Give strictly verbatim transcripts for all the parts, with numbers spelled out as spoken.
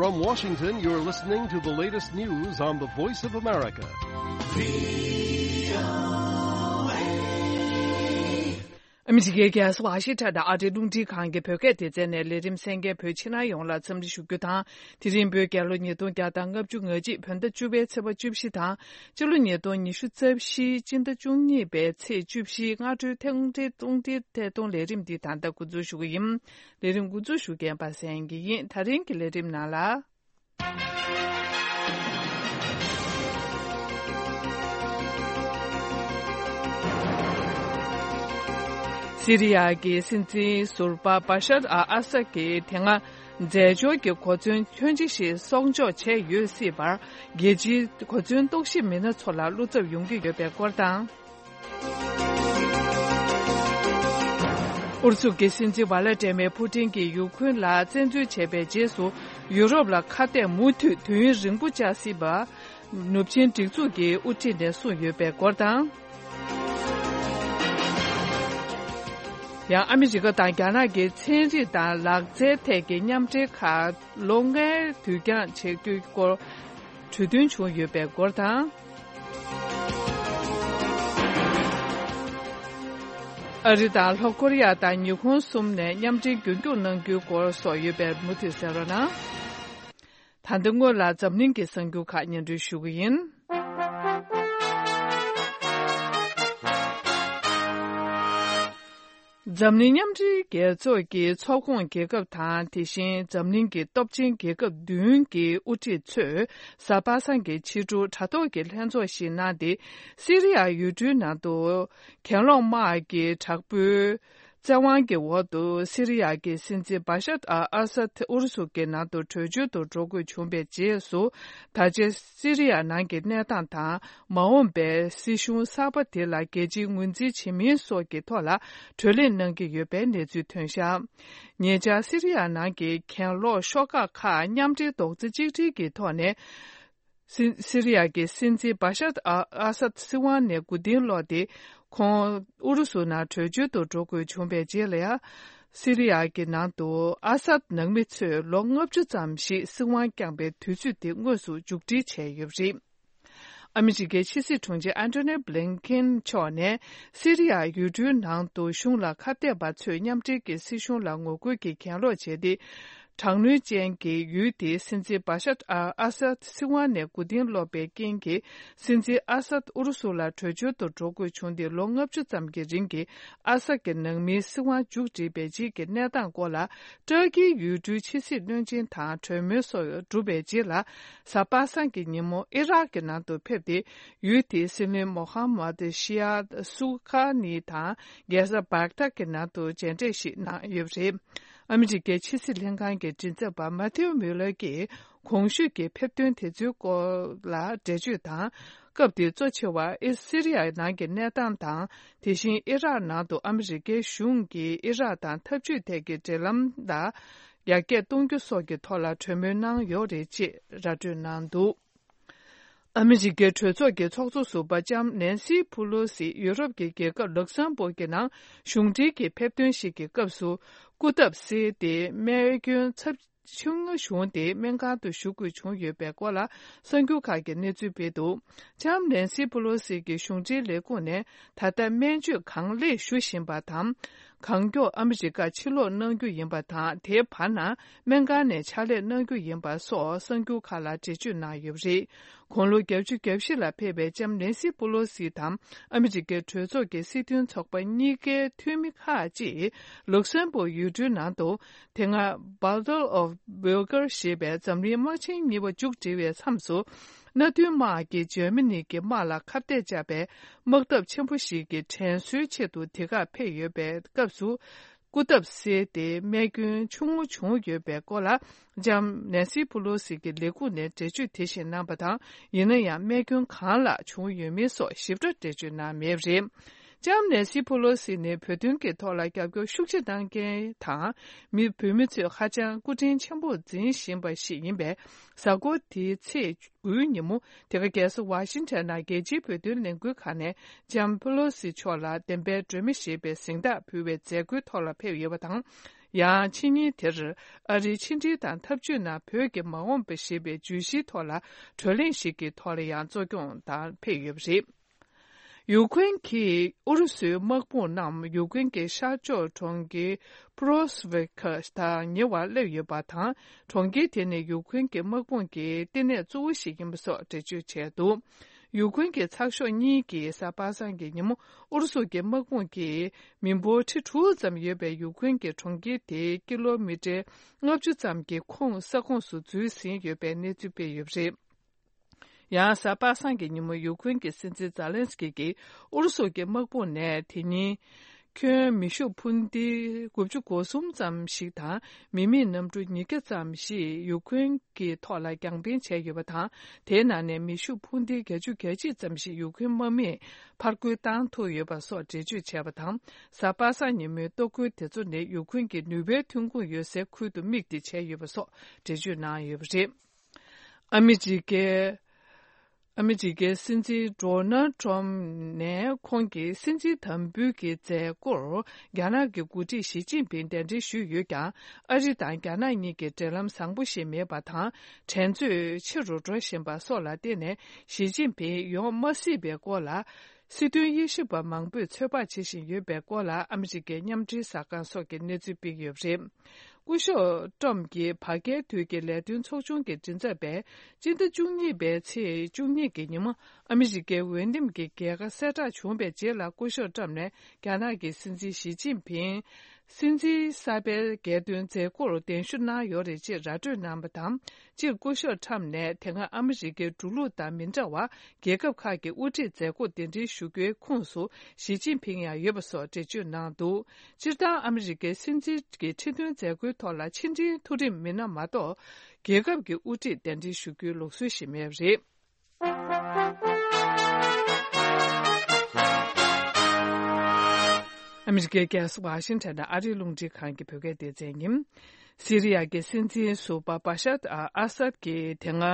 From Washington, you're listening to the latest news on the Voice of America. ཨ་མི་རི་ཀའི་རྒྱལ་ས་ཝ་ཤིང་ཊོན་དང་ཨ་རིའི་རླུང་འཕྲིན་ཁང་གི་བོད་སྐད་སྡེ་ཚན་ནས་ལས་རིམ་གསན་མཁན་བོད་ཕྱི་ནང་ཡོངས་ལ་འཚམས་འདྲི་ཞུ་རྒྱུ་དང་། དེ་རིང་བོད་རྒྱལ་ལོ་ཉིས་སྟོང་བརྒྱ་དང་ལྔ་བཅུ་ང་གཅིག་བོད་ཟླ་བཅུ་པའི་ཚེས་པ་བཅུ་བཞི་དང་། སྤྱི་ལོ་ཉིས་སྟོང་ཉི་ཤུ་རྩ་བཞི་སྤྱི་ཟླ་བཅུ་གཉིས་པའི་ཚེས་བཅུ་བཞི་སྔ་དྲོའི་ཐེངས་རེའི་རླུང་འཕྲིན་ཐད་གཏོང་ལས་རིམ་འདི་ད་ལྟ་འགོ་འཛུགས་ཞུ་གི་ཡིན། ལས་རིམ་འགོ་འཛུགས་ཞུ་མཁན་པ་སངས་སྐྱིད་ཡིན། ད་རིང་གི་ལས་རིམ་ནང་ལ། སི་རི་ཡ་གི་སྲིད་འཛིན་ཟུར་པ་བ་ཤར་ཨ་ཨ་སད་ཀྱིས་དེ་སྔ་རྫས་སྦྱོར་གྱི་གོ་མཚོན་ཁྱོན་ཆེ་ཞིག་གསོག་འཇོག་བྱས་ཡོད་སྲིད་པར། རྒྱལ་སྤྱིའི་གོ་མཚོན་རྟོག་ཞིབ་མི་སྣ་ཚོ་ལ་བློ་འཚབ་ཡོང་གི་ཡོད་པའི་སྐོར་དང་། ཨུ་རུ་སུ་གི་སྲིད་འཛིན་ཝ་ལ་ཏྲེ་མེ་ཕུ་ཏིན་གྱིས་ཡུ་ཁུན་ལ་བཙན་འཛུལ་བྱས་པའི་རྗེས་སུ། ཡུ་རོབ་ལ་ཁ་གཏད་མུ་མཐུད་དུས་ཡུན་རིང་པོ་བཅག་སྲིད་པ། ནུབ་ཆིངས་སྒྲིག་འཛུགས་ཀྱི་དབུ་ཁྲིད་ནས་གསུངས་ཡོད་པའི་སྐོར་དང་། ཡང་ཨ་མི་རི་ཀ་དང་རྒྱ་ནག་གི་ཚན་རིག་དང་ལག་རྩལ་ཐད་ཀྱི་མཉམ་འབྲེལ་ཁག་ལོ་ལྔའི་དུས་འགྱངས་བྱེད་རྒྱུའི་སྐོར་གྲོས་མཐུན་བྱུང་ཡོད་པའི་སྐོར་དང་། ཨ་རི་དང་ལྷོ་ཀོ་རི་ཡ་དང་ཉི་ཧོང་གསུམ་ནས་མཉམ་འབྲེལ་རྒྱུན་སྐྱོང་གནང་རྒྱུའི་སྐོར་སོགས་ཡོད་པས་མུ་མཐུད་གསན་རོགས་གནང་། ད་ལྟ་སྔོན་ལ་འཛམ་གླིང་གི་གསར་འགྱུར་ཁག་སྙན་སྒྲོན་ཞུ་གི་ཡིན། འཛམ་གླིང་མཉམ་འབྲེལ་རྒྱལ་ཚོགས་ཀྱི་ཚོགས་ཁོངས་རྒྱལ་ཁབ་དང་། དེ་བཞིན་འཛམ་གླིང་གི་སྟོབས་ཆེན་རྒྱལ་ཁབ་བདུན་གྱི་དབུ་ཁྲིད་ཚོས་གཟའ་པ་སངས་ཀྱི་ཕྱི་དྲོ་དྲ་ཐོག་གི་ལྷན་ཚོགས་ཤིག་གནང་སྟེ། སི་རི་ཡ་ཡུལ་གྲུའི་ནང་དུ་གྱེན་ལོག་དམག་གི་དྲག་པོའི་བཙན་དབང་གི་འོག་ཏུ་སི་རི་ཡ་གི་སྲིད་འཛིན་བ་ཤར་ཨ་ཨ་སད་ཨུ་རུ་སུ་གི་ནང་དུ་བྲོས་བྱོལ་དུ་འགྲོ་དགོས་བྱུང་བའི་རྗེས་སུ། ད་ཆ་སི་རི་ཡ་ནང་གི་གནས་སྟངས་དང་། མ་འོངས་པའི་སྲིད་གཞུང་གསར་པ་དེ་ལ་རྒྱལ་སྤྱིའི་ངོས་འཛིན་བྱེད་མིན་སོགས་ཀྱི་ཐོག་ལ་གྲོས་གླེང་གནང་གི་ཡོད་པའི་གནས་ཚུལ་ཐོན་བཞག་ཉེ་ཆར་སི་རི་ཡ་ནང་གི་གྱེན་ལོག་ཤོག་ཁག་ཁག་མཉམ་འབྲེལ་རྡོག་རྩ་གཅིག་སྒྲིལ་གྱི་ཐོག་ནས། སི་སི་རི་ཡ་གི་སྲིད་འཛིན་བ་ཤར་ཨ་ཨ་སད་སྲིད་དབང་ནས་མགོ་རྟིང་སློག་སྟེ། ཁོང་ཨུ་རུ་སུ་ནང་བྲོས་བྱོལ་དུ་འགྲོ་དགོས་བྱུང་བའི་རྗེས་ལ་ཡང་། སི་རི་ཡ་གི་ནང་དུ་ཨ་སད་ནང་མི་ཚོས་ལོ་ལྔ་བཅུ་ཙམ་ཞིག་སྲིད་དབང་བསྐྱངས་པའི་དུས་ཚོད་དེ་དངོས་སུ་མཇུག་སྒྲིལ་བྱས་ཡོད་པ་རེད། ཨ་མི་རི་ཀའི་ཕྱི་སྲིད་དྲུང་ཆེ་ཨན་ཐོ་ནི་བྷི་ལིན་ཀེན་མཆོག་ནས་སི་རི་ཡ་ཡུལ་གྲུའི་ནང་དུ་གཞུང་ལ་ཁ་གཏད་པ་ཚོས་མཉམ་འབྲེལ་གྱི་སྲིད་གཞུང་ལ་ངོ་རྒོལ་གྱིས་གྱེན་ལོག་བྱས་ཏེ། དྲག་གནོན་ཅན་གྱི་ཡུལ་དེའི་སྲིད་འཛིན་བ་ཤར་ཨ་ཨ་སད་སྲིད་དབང་ནས་མགོ་རྟིང་སློག་པའི་རྐྱེན་གྱིས། སྲིད་འཛིན་ཨ་སད་ཨུ་རུ་སུ་ལ་བྲོས་བྱོལ་དུ་འགྲོ་དགོས་བྱུང་སྟེ། ལོ་ལྔ་བཅུ་ཙམ་གྱི་རིང་གི་ཨ་སད་ཀྱི་ནང་མིའི་སྲིད་དབང་མཇུག་བསྒྲིལ་བའི་རྗེས་ཀྱི་གནས་སྟངས་སྐོར་ལ། ཏུར་ཀིའི་ཡུལ་གྲུའི་ཕྱི་སྲིད་བློན་ཆེན་དང་གྲོས་མོལ་སོགས་གྲུབ་པའི་རྗེས་ལ། གཟའ་པ་སངས་ཀྱི་ཉིན་མོ་ཨི་རག་གི་ནང་དུ་ཕེབས་ཏེ། ཡུལ་དེའི་སྲིད་བློན་མོ་ཧ་མད་ཤི་ཡ་སུ་ཁ་ནི་དང་རྒྱལ་ས་བག་དྷ་གི་ནང་དུ་མཇལ་འཕྲད་ཞིག་གནང་ཡོད་པ་རེད། ཨ་མི་རི་ཀའི་ཕྱི་སྲིད་ལྷན་ཁང་གི་མགྲིན་ཚབ་པ་མ་ཐེའུ་མིའུ་ལར་གྱིས། གོང་ཞུས་ཀྱི་ཕེབས་ཐོན་དེ་ཚོའི་སྐོར་ལ་འགྲེལ་བརྗོད་དང་། སྐབས་དེའི་གཙོ་ཆེ་བ་ཨི་སི་རི་ཡ་ནང་གི་གནས་སྟངས་དང་། དེ་བཞིན་ཨི་རག་ནང་དུ་ཨ་མི་རི་ཀའི་གཞུང་གིས་ཨི་རག་དང་འཐབ་ཇུས་ཐད་ཀྱི་འབྲེལ་ལམ་ལ་ཡར་རྒྱས་གཏོང་རྒྱུ་སོགས་ཀྱི་ཐོག་ལ་གྲོས་མོལ་གནང་ཡོད་རེད་ཅེས་ར་སྤྲོད་གནང་འདུག་ཨ་མི་རི་ཀའི་གྲོས་ཚོགས་ཀྱི་ཚོགས་གཙོ་ཟུར་པ་ལྕམ་ནན་སི་ཕུ་ལོ་སི་ཡུ་རོབ་ཀྱི་རྒྱལ་ཁབ་ལུག་སམ་བོར་གྱི་ནང་གཞུང་འབྲེལ་གྱི་ཕེབས་ཐོན་ཞིག་གི་སྐབས་སུ། སྐུ་ཐབས་བསིལ་ཏེ་རྨས་སྐྱོན་ཚབས་ཆུང་ངུ་བྱུང་སྟེ་སྨན་ཁང་དུ་བཞུགས་དགོས་བྱུང་ཡོད་པའི་སྐོར་ལ་གསར་འགྱུར་ཁག་གིས་གནས་ཚུལ་སྤེལ་འདུག་ལྕམ་ནན་སི་ཕུ་ལོ་སི་གི་གཞུང་འབྲེལ་ལས་ཁུངས་ནས་ད་ལྟ་སྨན་བཅོས་གང་ལེགས་ཞུ་བཞིན་པ་དང་། གང་མགྱོགས་ཨ་མི་རི་ཀར་ཕྱིར་ལོག་གནང་རྒྱུ་ཡིན་པ་དང་། དེའི་བར་ན་སྨན་ཁང་ནས་ཕྱག་ལས་གནང་རྒྱུ་ཡིན་པ་སོགས་གསར་འགྱུར་ཁག་ལ་འགྲེལ་བརྗོད་གནང་ཡོད་པ་རེད། དགུང་ལོ་བརྒྱད་ཅུ་གྱ་བཞི་ལ་ཕེབས་པའི་ལྕམ་ནན་སི་པུ་ལོ་སི་དང་ཨ་མི་རི་ཀའི་གྲོས་ཚོགས་ཀྱི་སྲིད་དོན་ཚོགས་པ་གཉིས་ཀའི་འཐུས་མི་ཁག་ཅིག་ལུག་སེམ་བུར་ཡུལ་གྲུའི་ནང་དུ། དེ་སྔ་Battle of Bulge ཞེས་པའི་འཛམ་གླིང་དམག་ཆེན་གཉིས་པ་མཇུག་སྒྲིལ་བའི་མཚམས་སུ། མནའ་མཐུན་དམག་གིས་འཇར་མ་ནི་གི་དམག་ལ་ཁ་གཏད་བཅག་པའི་དམག་འཐབ་ཆེན་པོ་ཞིག་གི་དྲན་གསོའི་ཆེད་དུ་དེ་གར་ཕེབས་ཡོད་པའི་སྐབས་སུ། སྐུ་ཐབས་བསིལ་ཏེ་རྨས་སྐྱོན་ཆུང་ངུ་བྱུང་ཡོད་པའི་སྐོར་ལ། ལྕམ་ནན་སི་པུ་ལོ་སི་གི་ལས་ཁུངས་ནས་འགྲེལ་བརྗོད་དེ་བཞིན་གནང་པ་དང་། ཡིན་ན་ཡང་རྨས་སྐྱོན་གང་ལ་བྱུང་ཡོད་མེད་སོགས་ཞིབ་ཕྲ་འགྲེལ་བརྗོད་གནང་མེད་པ་རེད། ལྕམ་ནན་སི་པུ་ལོ་སི་ནི་བོད་དོན་གྱི་ཐོག་ལ་རྒྱབ་སྐྱོར་ཤུགས་ཆེ་གནང་མཁན་དང་། མི་བོད་མི་ཚོས་ཧ་ཅང་སྐུ་དྲིན་ཆེན་པོ་འཛིན་བཞིན་པ་ཞིག་ཡིན་པས། གཟའ་འཁོར་འདིའི་ཚེས་དགུའི་ཉིན་མོ། དེ་ག་རྒྱལ་ས་ཝ་ཤིང་ཊོན་ནང་རྒྱལ་སྤྱིའི་བོད་དོན་ལས་འགུལ་ཁང་ནས་ལྕམ་པེ་ལོ་སི་མཆོག་ལ་བདེན་པའི་སྒྲོན་མེ་ཞེས་པའི་གཟེངས་རྟགས་ཕུལ་བའི་མཛད་སྒོའི་ཐོག་ལ་ཕེབས་ཡོད་པ་དང་། ཡང་ཕྱི་ཉིན་དེར་ཨ་རིའི་ཕྱི་འབྲེལ་དང་འཐབ་ཇུས་ནང་བོད་ཀྱི་མ་འོངས་པ་ཞེས་པའི་བརྗོད་གཞིའི་ཐོག་ལ་བགྲོ་གླེང་ཞིག་གི་ཐོག་ལ་ཡང་གཙོ་སྐྱོང་དང་ཕེབས་ཡོད་པ་རེད། ཡུ་ཀེ་རེན་གྱིས་ཨུ་རུ་སུའི་དམག་དཔུང་རྣམས་ཡུ་ཀེ་རེན་གྱི་ཤར་ཕྱོགས་གྲོང་ཁྱེར་པུ་རོ་སི་ཝི་ཀ་དང་ཉེ་བར་སླེབས་ཡོད་པ་དང་། གྲོང་ཁྱེར་དེ་ནི་ཡུ་ཀེ་རེན་གྱི་དམག་དཔུང་གི་བསྟི་གནས་གཙོ་བོ་ཞིག་ཡིན་པ་སོགས་འགྲེལ་བརྗོད་བྱས་འདུག་ཡུ་ཀེ་རེན་གྱི་ཚགས་ཤོག་གཉིས་ཀྱིས་གཟའ་པ་སངས་ཀྱི་ཉིན་མོ་ཨུ་རུ་སུ་གྱི་དམག་དཔུང་གིས་མི་འབོར་ཁྲི་དྲུག་ཙམ་ཡོད་པའི་ཡུ་ཀེ་རེན་གྱི་གྲོང་ཁྱེར་དེའི་ཀི་ལོ་མི་ཊར་ལྔ་བཅུ་ཙམ་གྱི་ཁོངས་ས་ཁོངས་སུ་འཛུལ་ཟིན་ཡོད་པའི་གནས་ཚུལ་སྤེལ་ཡོད་པ་རེད། ཡང་གཟའ་པ་སངས་ཀྱི་ཉིན་མོ་ཡུ་ཀེ་རེན་གྱི་སྲིད་འཛིན་ཛ་ལན་སི་ཀི་གིས་ཨུ་རུ་སུ་གྱི་དམག་དཔུང་ནས་དེ་ཉིན་ཁྱོན་མེ་ཤུགས་འཕུར་མདེལ་དགུ་བཅུ་གོ་གསུམ་ཙམ་ཞིག་དང་མི་མེད་གནམ་གྲུ་ཉིས་བརྒྱ་ཙམ་ཞིག་ཡུ་ཀེ་རེན་གྱི་ཐོག་ལ་རྒྱང་འཕེན་བྱས་ཡོད་པ་དང་། དེའི་ནང་ནས་མེ་ཤུགས་འཕུར་མདེལ་བརྒྱད་ཅུ་གྱ་གཅིག་ཙམ་ཞིག་ཡུ་ཀེ་རེན་དམག་མིས་ཕར་རྒོལ་བཏང་ཐུབ་ཡོད་པ་སོགས་འགྲེལ་བརྗོད་བྱས་པ་དང་། གཟའ་པ་སངས་ཉིན་མོའི་གཏོར་རྒོལ་དེ་ཚོ་ནི་ཡུ་ཀེ་རེན་གྱི་ནུས་པའི་ཐོན་ཁུངས་ཡོད་སའི་ཁུལ་དུ་དམིགས་ཏེ་བྱས་ཡོད་པ་སོགས་འགྲེལ་བརྗོད་གནང་ཡོད་པ་རེད། ཨ་མི་རི་ཀའི་ཨ་མི་རི་ཀའི་སྲིད་འཛིན་ཌོ་ནལ་ཊམ་ནས་ཁོང་གི་སྲིད་འཛིན་དམ་འབུལ་གྱི་མཛད་སྒོར་རྒྱ་ནག་གི་འགོ་ཁྲིད་ཞི་ཅིན་ཕིང་གདན་འདྲེན་ཞུས་ཡོད་ཀྱང་། ཨ་རི་དང་རྒྱ་ནག་གཉིས་ཀྱི་འབྲེལ་ལམ་བཟང་པོ་ཞིག་མེད་པ་དང་། འགྲན་རྩོད་ཆེ་རུ་འགྲོ་བཞིན་པ་སོགས་ལ་བརྟེན་ནས་ཞི་ཅིན་ཕིང་ཡོང་མ་སྲིད་པའི་སྐོར་ལ། སྲིད་དོན་དབྱེ་ཞིབ་པ་མང་པོས་ཚོད་དཔག་བྱེད་བཞིན་ཡོད་པའི་སྐོར་ལ་ཨ་མི་རི་ཀའི་མཉམ་འབྲེལ་གསར་ཁང་སོགས་ཀྱིས་གནས་ཚུལ་སྤེལ་ཡོད་པ་རེད། སྐུ་ཞབས་ཊམ་གྱི་བར་བརྒལ་དུས་ཀྱི་ལས་དོན་ཚོགས་ཆུང་གི་མགྲིན་ཚབ་པས་སྤྱི་ཟླ་བཅུ་གཉིས་པའི་ཚེས་བཅུ་གཉིས་ཀྱི་ཉིན་མོ་ཨ་མི་རི་ཀའི་འོས་འདེམས་ཀྱི་རྒྱལ་ཁ་གསལ་བསྒྲགས་བྱུང་བའི་རྗེས་ལ། སྐུ་ཞབས་ཊམ་ནས་རྒྱ་ནག་གི་སྲིད་འཛིན་ཞི་ཅིན་ཕིང་སྲིད་འཛིན་གསར་པའི་རྒྱལ་དོན་མཛད་སྒོར་གདན་ཞུ་གནང་ཡོད་རེད་ཅེས་ར་སྤྲོད་གནང་བ་དང་། སྤྱིར་སྐུ་ཞབས་ཊམ་ནས་དེ་སྔ་ཨ་མི་རི་ཀའི་འགྲོ་ལུགས་དང་མི་འདྲ་བར་རྒྱལ་ཁབ་ཁག་གི་དབུ་ཁྲིད་མཛད་སྒོར་གདན་འདྲེན་ཞུ་རྒྱུའི་ཁོངས་སུ་ཞི་ཅིན་ཕིང་ཡང་ཡོད་པ་སོགས་འགྲེལ་བརྗོད་གནང་འདུག་སྤྱིར་བཏང་ཨ་མི་རི་ཀའི་སྲིད་འཛིན་གྱི་ཁྲི་འདོན་མཛད་སྒོའི་ཐོག་ལ་ཕྱི་འབྲེལ་མཐོ་རིམ་མི་སྣ་མ་གཏོགས་རྒྱལ་ཁབ་ཀྱི་དབུ་ཁྲིད་གདན་འདྲེན་ཞུ་རྒྱུའི་ལུགས་སྲོལ་ཞིག་མེད་པ་རེད། ཨ་མི་རི་ཀའི་རྒྱལ་ས་ཝ་ཤིང་ཊོན་ནས་ཨ་རིའི་རླུང་འཕྲིན་ཁང་གི་བོད་སྐད་སྡེ་ཚན་ཡིན། སི་རི་ཡ་གི་སྲིད་འཛིན་ཟུར་པ་བ་ཤར་ཨལ་ཨ་སད་ཀྱིས་དེ་སྔ་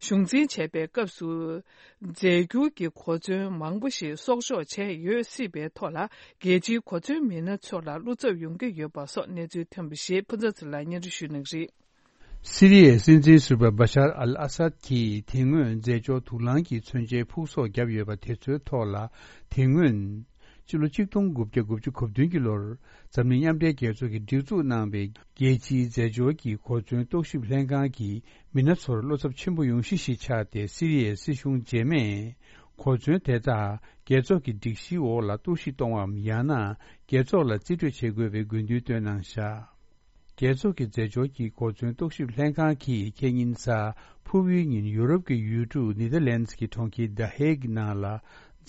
གཞུང་འཛིན་བྱས་པའི་སྐབས་སུ། རྫས་འགྱུར་གྱི་གོ་མཚོན་མང་པོ་ཞིག་གསོག་འཇོག་བྱས་ཡོད་སྲིད་པའི་ཐོག་ལ། རྒྱལ་སྤྱིའི་གོ་མཚོན་མི་སྣ་ཚོ་ལ་བློ་འཚབ་ཡོང་གི་ཡོད་པ་སོགས་གནས་ཚུལ་ཐོན་པ་ཞིག་ཕུན་ཚོགས་ཚེ་ལགས་སྙན་སྒྲོན་ཞུ་གནང་གི་རེད། སི་རི་ཡའི་སྲིད་འཛིན་ཟུར་པ་བ་ཤར་ཨལ་ཨ་སད་ཀྱིས་དེ་སྔོན་རྫས་སྦྱོར་དུག་རླངས་ཀྱི་མཚོན་ཆའི་ཕུག་གསོག་བརྒྱབ་ཡོད་པ་དེ་ཚོའི་ཐོག་ལ། དེ་སྔོན། སྤྱི་ལོ་གཅིག་སྟོང་དགུ་བརྒྱ་དགུ་བཅུ་གོ་བདུན་གྱི་ལོར། འཛམ་གླིང་མཉམ་འབྲེལ་རྒྱལ་ཚོགས་ཀྱིས་སྒྲིག་འཛུགས་གནང་བའི་རྒྱལ་སྤྱིའི་རྫས་སྦྱོར་གྱི་གོ་མཚོན་རྟོག་ཞིབ་ལྷན་ཁང་གིས་མི་སྣ་ཚོར་བློ་འཚབ་ཆེན་པོ་ཡོང་གཞི་ཞིག་ཆགས་ཏེ། སི་རི་ཡའི་སྲིད་གཞུང་རྗེས་མས་གོ་མཚོན་དེ་དག་རྒྱལ་ཚོགས་ཀྱི་སྒྲིག་གཞིའི་འོག་ལ་གཏོར་བཤིག་གཏོང་བའམ། ཡང་ན་རྒྱལ་ཚོགས་ལ་རྩིས་སྤྲོད་བྱེད་དགོས་པའི་དགོས་འདུན་བཏོན་གནང་བཞག་རྒྱལ་ཚོགས་ཀྱི་རྫས་སྦྱོར་གྱི་གོ་མཚོན་རྟོག་ཞིབ་ལྷན་ཁང་གིས་ཁ་ཉིན་གཟའ་ཕུར་བུའི་ཉིན་ཡུ་རོབ་ཀྱི་ཡུལ་གྲུ་ནེ་དར་ལེན་ཌི་གི་གྲོང་ཁྱེར་ད་ཧེག་ནང་ལ་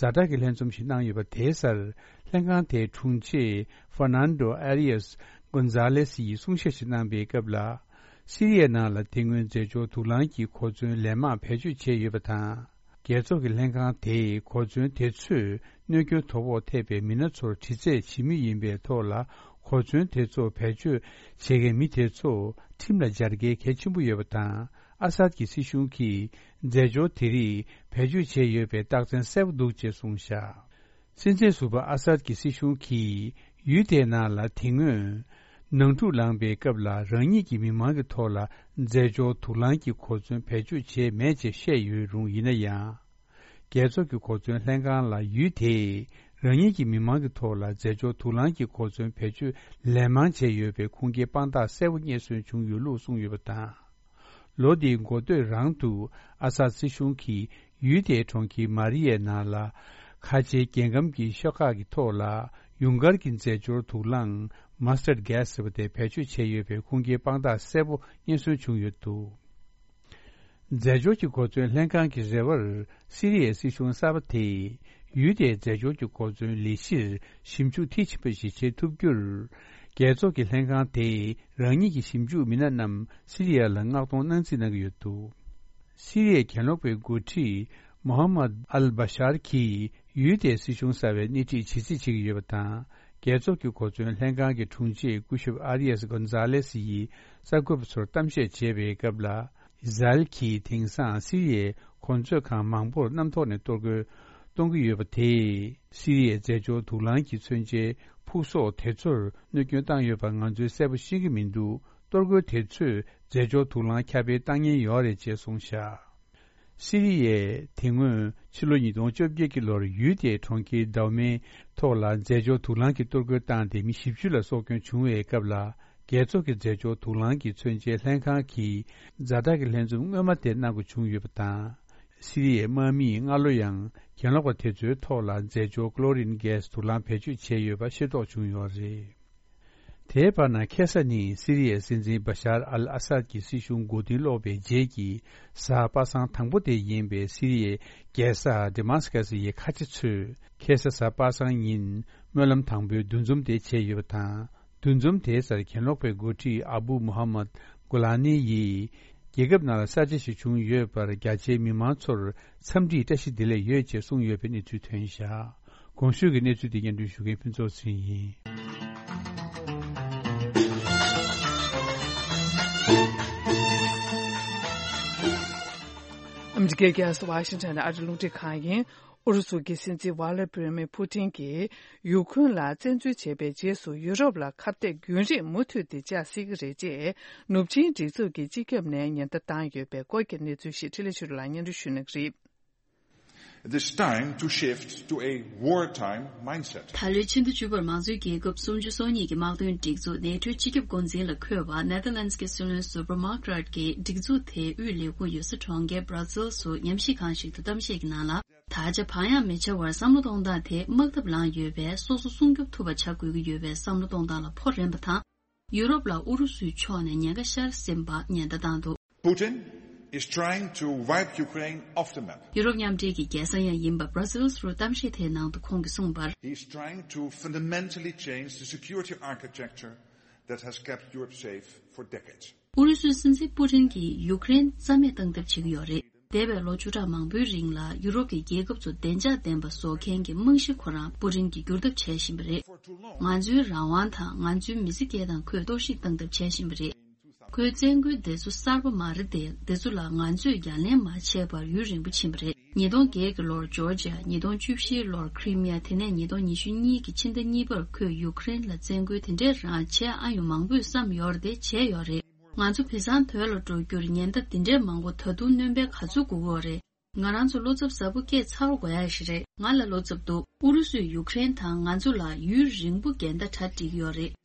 ཛ་དྲག་གི་ལྷན་འཛོམས་ཤིག་གནང་ཡོད་པ་དེའི་སར། ལྷན་ཁང་དེའི་དྲུང་ཆེ་ཧྥར་ནན་ཌོ་ཨ་རི་ཡས་གོན་ཛ་ལེ་སི་ཡིས་གསུང་བཤད་ཞིག་གནང་པའི་སྐབས་ལ། སི་རི་ཡའི་ནང་ལ་དེ་སྔོན་རྫས་སྦྱོར་དུག་རླངས་ཀྱི་གོ་མཚོན་ལན་མང་བེད་སྤྱོད་བྱས་ཡོད་པ་དང་། རྒྱལ་ཚོགས་ཀྱི་ལྷན་ཁང་དེས་གོ་མཚོན་དེ་ཚོས་གནོད་སྐྱོན་དོ་ཕོག་ཐེབས་པའི་མི་སྣ་ཚོར་དྲི་རྩད་བྱེད་མུས་ཡིན་པའི་ཐོག་ལ། གོ་མཚོན་དེ་ཚོ་བེད་སྤྱོད་བྱེད་མཁན་མི་དེ་ཚོ་ཁྲིམས་ལ་སྦྱར་གལ་གལ་ཆེན་པོ་ཡོད་པ་དང་། ཨ་སད་ཀྱི་སྲིད་གཞུང་གིས་རྫས་སྦྱོར་དེ་རིགས་བེད་སྤྱོད་བྱས་ཡོད་པའི་རྟགས་མཚན་གསལ་པོ་འདུག་ཅེས་གསུངས་བཞག་སྲིད་འཛིན་ཟུར་པ་ཨ་སད་ཀྱི་སྲིད་གཞུང་གིས་ཡུལ་དེའི་ནང་ལ་དེ་སྔོན། ནང་འཁྲུག་ལངས་པའི་སྐབས་ལ་རང་ཉིད་ཀྱི་མི་མང་གི་ཐོག་ལ་རྫས་སྦྱོར་དུག་རླངས་ཀྱི་གོ་མཚོན་བེད་སྤྱོད་བྱས་མེད་ཅེས་བཤད་ཡོད་རུང་། ཡིན་ན་ཡང་། རྒྱལ་ཚོགས་ཀྱི་གོ་མཚོན་ལྷན་ཁང་ལ་ཡུལ་དེས་རང་ཉིད་ཀྱི་མི་མང་གི་ཐོག་ལ་རྫས་སྦྱོར་དུག་རླངས་ཀྱི་གོ་མཚོན་བེད་སྤྱོད་ལན་མང་བྱས་ཡོད་པའི་ཁུངས་སྐྱེལ་དཔང་རྟགས་གསལ་པོ་རྙེད་སོན་བྱུང་ཡོད་ལུགས་གསུངས་ཡོད་པ་དང་། ལོ་འདིའི་འགོ་སྟོད་རང་དུ་ཨ་སད་སྲིད་གཞུང་གིས་ཡུལ་དེའི་གྲོང་ཁྱེར་མ་རི་ཡའི་ནང་ལ། ཁ་ཆེའི་རྒྱལ་ཁམས་ཀྱི་ཤོག་ཁག་གི་ཐོག་ལ་ཡུངས་ཀར་གྱི་རྫས་སྦྱོར་དུག་རླངས་མ་སི་ཊར་གྷེ་སི་ཟེར་བ་དེ་བེད་སྤྱོད་བྱས་ཡོད་པའི་ཁུངས་སྐྱེལ་དཔང་རྟགས་གསལ་པོ་རྙེད་སོན་བྱུང་ཡོད་འདུག་རྫས་སྦྱོར་གྱི་གོ་མཚོན་ལྷན་ཁང་གི་རེ་བར། སི་རི་ཡའི་སྲིད་གཞུང་གསར་པ་དེས་ཡུལ་དེའི་རྫས་སྦྱོར་གྱི་གོ་མཚོན་ལས་གཞིར་ཞིབ་འཇུག་མཐིལ་ཕྱིན་པ་ཞིག་བྱེད་ཐུབ་རྒྱུར། རྒྱལ་ཚོགས་ཀྱི་ལྷན་ཁང་དེས་རང་ཉིད་ཀྱི་ཞིབ་འཇུག་མི་སྣ་རྣམས་སི་རི་ཡ་ལ་མངགས་གཏོང་གནང་རྩིས་གནང་གི་ཡོད་འདུག་སི་རི་ཡའི་གྱེན་ལོག་པའི་འགོ་ཁྲིད་མོ་ཧམ་མད་ཨལ་བྷ་ཤར་གྱིས་ཡུལ་དེའི་སྲིད་གཞུང་གསར་བའི་སྣེ་ཁྲིད་བྱེད་རྩིས་བྱེད་ཀྱི་ཡོད་པ་དང་། རྒྱལ་ཚོགས་ཀྱི་གོ་མཚོན་ལྷན་ཁང་གི་དྲུང་ཆེ་སྐུ་ཞབས་ཨ་རི་ཡས་གོན་ཛ་ལེ་སི་ཡིས་གསར་འགོད་པ་ཚོར་གཏམ་བཤད་བྱས་པའི་སྐབས་ལ། ཨི་ཟ་རེལ་གྱིས་དེང་སང་སི་རི་ཡའི་གོ་མཛོད་ཁང་མང་པོར་གནམ་ཐོག་ནས་གཏོར་རྒོལ་ གཏོང་གི་ཡོད་པ་དེས་སི་རི་ཡའི་རྫས་སྦྱོར་དུག་རླངས་ཀྱི་མཚོན་ཆའི་ཕུག་གསོག་དེ་ཚོར་གནོད་སྐྱོན་བཏང་ཡོད་པ་ང་ཚོས་གསལ་པོ་ཤེས་ཀྱི་མི་འདུག་གཏོར་རྒོལ་དེ་ཚོས་རྫས་སྦྱོར་དུག་རླངས་ཁྱབ་སྤེལ་བཏང་ཉེན་ཡོད་རེད་ཅེས་གསུངས་བཞག་སི་རི་ཡས་དེ་སྔོན་ཕྱི་ལོ་ཉིས་སྟོང་བཅོ་བརྒྱད་ཀྱི་ལོར་ཡུལ་དེའི་གྲོང་ཁྱེར་དའུ་མེའི་ཐོག་ལ་རྫས་སྦྱོར་དུག་རླངས་ཀྱི་གཏོར་རྒོལ་བཏང་སྟེ་མི་བཞི་བཅུ་ལ་སྲོག་སྐྱོན་བྱུང་བའི་སྐབས་ལ། རྒྱལ་ཚོགས་ཀྱི་རྫས་སྦྱོར་དུག་རླངས་ཀྱི་མཚོན་ཆའི་ལྷན་ཁང་གིས་ཛ་དྲག་གི་ལྷན་འཛོམས་སྔོན་མ་དེ་གནང་དགོས་བྱུང་ཡོད་པ་དང་། སི་རི་ཡའི་དམག་མིས་སྔ་ལོ་ཡང་གྱེན་ལོག་པ་དེ་ཚོའི་ཐོག་ལ་རྫས་སྦྱོར་ཀློ་རིན་གྷེ་སི་དུག་རླངས་བེད་སྤྱོད་བྱས་ཡོད་པ་ཤེས་རྟོགས་བྱུང་ཡོད་རེད། དེའི་བར་ན་ཁེ་ས་ནི་སི་རི་ཡའི་སྲིད་འཛིན་བ་ཤར་ཨལ་ཨ་སད་ཀྱི་སྲིད་གཞུང་མགོ་རྟིང་སློག་པའི་རྗེས་ཀྱི་གཟའ་པ་སངས་དང་པོ་དེ་ཡིན་པས། སི་རི་ཡའི་རྒྱལ་ས་ཌི་མཱ་སི་ཀ་སི་ཡི་ཁ་ཆེ་ཚོས་ཁེ་ས་གཟའ་པ་སངས་ཉིན་སྨོན་ལམ་དང་པོའི་འདུ་འཛོམས་དེ་བྱས་ཡོད་པ་དང་། འདུ་འཛོམས་དེའི་སར་གྱེན་ལོག་པའི་འགོ་ཁྲིད་ཨ་བུ་མུ་ཧམ་མད་གུ་ལ་ནི་ཡིས། རྒྱལ་ཁབ་ནང་ལ་གསར་བརྗེ་ཞིག་བྱུང་ཡོད་པར་རྒྱ་ཆེའི་མི་མང་ཚོར་འཚམས་འདྲིའི་བཀྲ་ཤིས་བདེ་ལེགས་ཡོད་ཅེས་གསུངས་ཡོད་པའི་གནས་ཚུལ་ཐོན་བཞག་གོང་ཞུས་ཀྱི་གནས་ཚུལ་དེ་སྙན་སྒྲོན་ཞུ་མཁན་ཕུན་ཚོགས་ཚེ་རིང་ཡིན། ཨ་མི་རི་ཀའི་རྒྱལ་ས་ཝ་ཤིང་ཊོན་ནས་ཨ་རི་རླུང་འཕྲིན་ཁང་ཡིན། ཨུ་རུ་སུ་གི་སྲིད་འཛིན་ཝ་ལ་ཏི་མིར་ཕུ་ཏིན་གྱིས་ཡུ་ཁུན་ལ་བཙན་འཛུལ་བྱས་པའི་རྗེས་སུ། ཡུ་རོབ་ལ་ཁ་གཏད་རྒྱུན་རིང་མུ་མཐུད་དེ་བཅག་སྲིད་ཀྱི་རེད་ཅེས་ནུབ་ཆིངས་སྒྲིག་འཛུགས་ཀྱི་སྤྱི་ཁྱབ་ནས་ཉེན་བརྡ་བཏང་ཡོད་པའི་སྐོར་གྱི་གནས་ཚུལ་ཞིག་འཕྲིན་ལས་ཆོས་སྒྲོན་ལགས་སྙན་སྒྲོན་ཞུ་གནང་གི་རེད། It is time to shift to a wartime mindset. ད་ལོའི་ཕྱི་ཟླ་བཅུ་པར་མང་གཙོའི་རྒྱལ་ཁབ་སུམ་ཅུ་སོ་གཉིས་ཀྱི་དམག་དོན་སྒྲིག་འཛུགས་ནེ་ཊོའི་སྤྱི་ཁྱབ་འགོ་འཛིན་ལ་འཁོད་པ་ནེ་ཐར་ལན་སི་གི་སྲིད་བློན་ཟུར་པ་མཱག་རཱཊ་ཀྱིས་སྒྲིག་འཛུགས་དེའི་དབུས་ལས་ཁུངས་ཡོད་ས་གྲོང་ཁྱེར་བྷ་ར་སེལ་སུ་ཉམས་ཞིབ་ཁང་ཞིག་ཏུ་གཏམ་བཤད་ཀྱི་ནང་ལ། ད་ཆ་བག་ཡངས་མི་བྱ་བར་བསམ་བློ་གཏོང་སྟངས་དེ་དམག་འཐབ་ལངས་ཡོད་པས། སོ་སོ་སྲུང་སྐྱོབ་ཐུབ་པ་བྱ་དགོས་ཀྱི་ཡོད་པའི་བསམ་བློ་གཏོང་སྟངས་ལ་ཕོག་རན་པ་དང་། ཡུ་རོབ་ལ་ཨུ་རུ་སུའི་ཕྱོགས་ནས་ཉེན་ཁ་ཤར་ཟིན་པ་ཉེན་བརྡ་བཏང་འདུག Putin is trying to wipe Ukraine off the map. ཡུ་རོབ་མཉམ་འབྲེལ་གྱི་རྒྱལ་ས་ཡང་ཡིན་པ་བྷ་ར་སེལ་སུ་གཏམ་བཤད་དེའི་ནང་དུ་ཁོང་གིས་གསུངས་པར། He is trying to fundamentally change the security architecture that has kept Europe safe for decades. ཨུ་རུ་སུའི་སྲིད་འཛིན་པུ་ཏིན་གྱིས་ཡུ་ཀེ་རེན་རྩ་མེད་བཏང་ཐབས་བྱེད་ཀྱི་ཡོད་རེད། འདས་པའི་ལོ་བཅུ་ཕྲག་མང་པོའི་རིང་ལ་ཡུ་རོབ་ཀྱི་རྒྱལ་ཁབ་ཚོ་བདེ་འཇགས་ལྡན་པ་བཟོ་མཁན་གྱི་རྨང་གཞི་ཁོ་རང་པུ་ཏིན་གྱིས་བསྒྱུར་ཐབས་བྱས་བཞིན་པ་རེད། ང་ཚོའི་རང་དབང་དང་ང་ཚོའི་མི་ཚེ་སྐྱེལ་སྟངས་ཁོས་གཏོར་བཤིག་བཏང་ཐབས་བྱས་བཞིན་པ་རེད། ཁོའི་བཙན་རྒོལ་འདི་ཚོ་གསར་པ་མ་རེད་དེ། འདི་ཚོ་ལ་ང་ཚོས་ཡ་ལན་མ་བྱས་པར་ཡུན་རིང་པོ་ཕྱིན་པ་རེད། ཉིས་སྟོང་བརྒྱད་ཀྱི་ལོར་ཇོར་ཇི་ཡ། ཉིས་སྟོང་བཅུ་བཞིའི་ལོར་ཁི་རི་མི་ཡ། དེ་ནས་ཉིས་སྟོང་ཉི་ཤུ་གཉིས་ཀྱི་ཕྱི་ཟླ་གཉིས་པར་ཁོས་ཡུ་ཀེ་རེན་ལ་བཙན་རྒོལ་དེ་འདྲའི་རང་བྱས་ཨ་ཡོང་མང་པོས་བསམ་ཡོད་རེད་དེ། བྱས་ཡོད་རེད། ང་ཚོ་བི་སང་དོད་ལ་འགྲོ་རྒྱུར་ཉེན་བརྡ་འདི་འདྲའི་མང་པོ་ད་དུང་སྣོན་པ་ག་ཚོད་དགོས་ཀྱི་ཡོད་རེད། ང་རང་ཚོ་བློ་འཚབ་ཟབ་པོ་སྐྱེས་ཚར་དགོས་ཡ་ཞིག་རེད། ང་ལ་བློ་འཚབ་འདུག་ཨུ་རུ་སུས་ཡུ་ཀེ་རེན་དང་ང་ཚོ་ལ་ཡུན་རིང་པོ་འགལ་ཟླ་གྲ་སྒྲིག་ཡོད་རེད།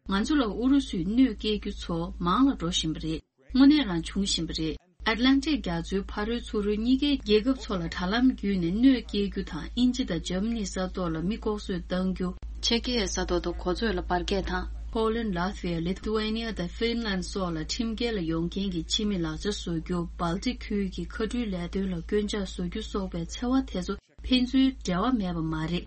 ང་ཚོ་ལ་ཨུ་རུ་སུས་གནོད་སྐྱེལ་རྒྱུ་ཚོ་མང་ལ་འགྲོ་བཞིན་པ་རེད། དངོས་གནས་རང་བྱུང་བཞིན་པ་རེད། ཨེཊ་ལན་ཊིག་རྒྱ་མཚོའི་ཕ་རོལ་ཚུར་རོལ་གཉིས་ཀའི་རྒྱལ་ཁབ་ཚོ་ལ་དྲ་ལམ་བརྒྱུད་ནས་གནོད་སྐྱེལ་རྒྱུ་དང་། དབྱིན་ཇི་དང་འཇར་མ་ནི་ས་ཐོག་ལ་མི་ལྐོག་གསོད་གཏང་རྒྱུ། ཆེ་ཀི་ཡའི་ས་ཐོག་དང་གོ་མཚོན་ལ་འབར་གས་དང་། ཕོ་ལན། ལ་ཐི་ཝི་ཡ། ལི་ཐུ་ཝེ་ནི་ཡ་དང་ཧྥིན་ལན་སོགས་ལ་ཁྲིམས་འགལ་ལ་ཡོང་མཁན་གྱི་ཕྱི་མི་ལག་ཆ་བཟོ་རྒྱུ། སྦལ་ཏིག་ཁུལ་གྱི་མཁའ་འགྲུལ་ལས་དོན་ལ་སྐྱོན་ཆ་བཟོ་རྒྱུ་སོགས་པའི་འཚེ་བ་དེ་ཚོ་ཕན་ཚུན་འབྲེལ་བ་མེད་པ་མ་རེད།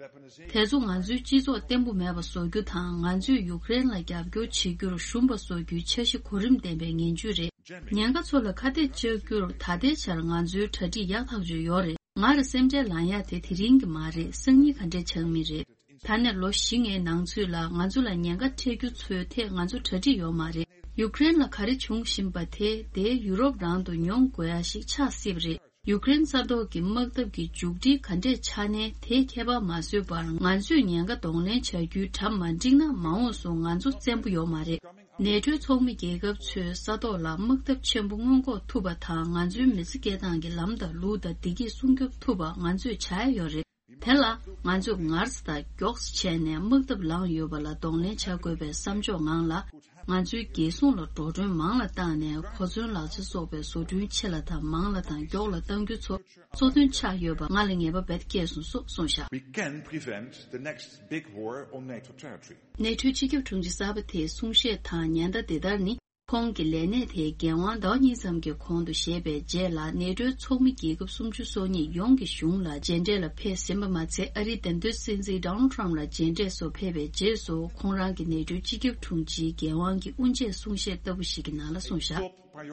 དེ་ཚོ་ང་ཚོའི་སྤྱི་ཚོགས་བརྟན་པོ་མེད་པ་བཟོ་རྒྱུ་དང་། ང་ཚོས་ཡུ་ཀེ་རེན་ལ་རྒྱབ་སྐྱོར་བྱེད་རྒྱུར་ཞུམ་པ་བཟོ་རྒྱུའི་འཆར་གཞི་གོ་རིམ་ལྡན་པའི་ངན་ཇུས་རེད། ཉེན་ཁ་ཚོ་ལ་ཁ་གཏད་གཅོག་རྒྱུར་ད་ལྟའི་ཆར་ང་ཚོའི་གྲ་སྒྲིག་ཡག་ཐག་ཆོད་ཡོད་རེད། ང་རང་སེམས་ཁྲལ་ལངས་ཡ་དེ་དེ་རིང་གི་མ་རེད། སང་ཉིན་ག་འདྲས་ཆགས་མིན་རེད། ད་ནས་ལོ་བཞི་ལྔའི་ནང་ཚུད་ལ་ང་ཚོ་ལ་ཉེན་ཁ་འཕྲད་རྒྱུ་ཚོའི་ཐད་ང་ཚོ་གྲ་སྒྲིག་ཡོད་མ་རེད། ཡུ་ཀེ་རེན་ལ་ག་རེ་བྱུང་བཞིན་པ་དེ་དེ་ཡུ་རོབ་རང་དུ་མྱོང་དགོས་ཡ་ཞིག་ཆགས་སྲིད་པ་རེད། ཡུ་ཀེ་རེན་ས་ཐོག་གི་དམག་འཐབ་ཀྱི་མཇུག་སྒྲིལ་ག་འདྲས་ཆགས་ནའི་དེས་ཁྱད་པར་མ་བཟོས་པར། ང་ཚོས་ཉེན་ཁ་གདོང་ལེན་བྱ་རྒྱུའི་གྲ་མ་འགྲིག་ན། མ་འོངས་སུ་ང་ཚོ་བཙན་པོ་ཡོད་མ་རེད། ནེ་ཊོའི་ཚོགས་མི་རྒྱལ་ཁབ་ཚོས་ས་ཐོག་ལ་དམག་འཐབ་ཆེན་པོ་སྔོན་འགོག་ཐུབ་པ་དང་། ང་ཚོའི་མི་ཚེ་སྐྱེལ་སྟངས་ཀྱི་ལམ་དང་ལུགས་དང་བདེ་སྐྱིད་སྲུང་སྐྱོབ་ཐུབ་པ་ང་ཚོས་བྱ་ཡ་ཡོད་རེད། དེ་ལ་ང་ཚོས་ངར་ཙམ་དང་མགྱོགས་ཙམ་བྱས་ནས་དམག་འཐབ་ལངས་ཡོད་པ་ལ་གདོང་ལེན་བྱ་དགོས་པའི་བསམ་ཕྱོགས་ངང་ལ། ང་ཚོའི་རྒྱལ་སྲུང་ལ་འགྲོ་གྲོན་མང་ལ་བཏང་ནས། གོ་མཚོན་ལག་ཆ་སོགས་པའི་བཟོ་སྐྲུན་ཆེ་ལ་དང་མང་ལ་དང་མགྱོགས་ལ་གཏང་རྒྱུ་ཚོ་གཙོ་དོན་ཆགས་ཡོད་པ་ང་ལ་ངེས་པ་རྦད་སྐྱེས་སོང་སོགས་གསུངས་བཞག We can prevent the next big war on NATO territory. ནེ་ཊོའི་སྤྱི་ཁྱབ་དྲུང་ཆེ་གསར་པ་དེའི་གསུང་བཤད་དང་ཉེན་བརྡ་འདི་ལྟར་ནི། ཁོང་གི་ལས་གནས་དེའི་འགན་དབང་ཟླ་བ་གཉིས་ཙམ་གྱི་གོང་དུ་བཞེས་པའི་རྗེས་ལ། ནེ་ཊོའི་ཚོགས་མི་རྒྱལ་ཁབ་སུམ་ཅུ་སོ་གཉིས་ཡོངས་ཀྱི་གཞུང་ལ་མཇལ་འཕྲད་ལ་ཕེབས་ཟིན་པ་མ་ཚད། ཨ་རིའི་བདེན་དོན་སྲིད་འཛིན་ཌོ་ནལ་ཊམ་ལ་མཇལ་འཕྲད་སོགས་ཕེབས་པའི་རྗེས་སུ། ཁོང་རང་གིས་ནེ་ཊོའི་སྤྱི་ཁྱབ་དྲུང་ཆེའི་འགན་དབང་གི་དབུ་འབྱེད་གསུང་བཤད་ལྟ་བུ་ཞིག་གི་ནང་ལ་གསུངས་བཞག་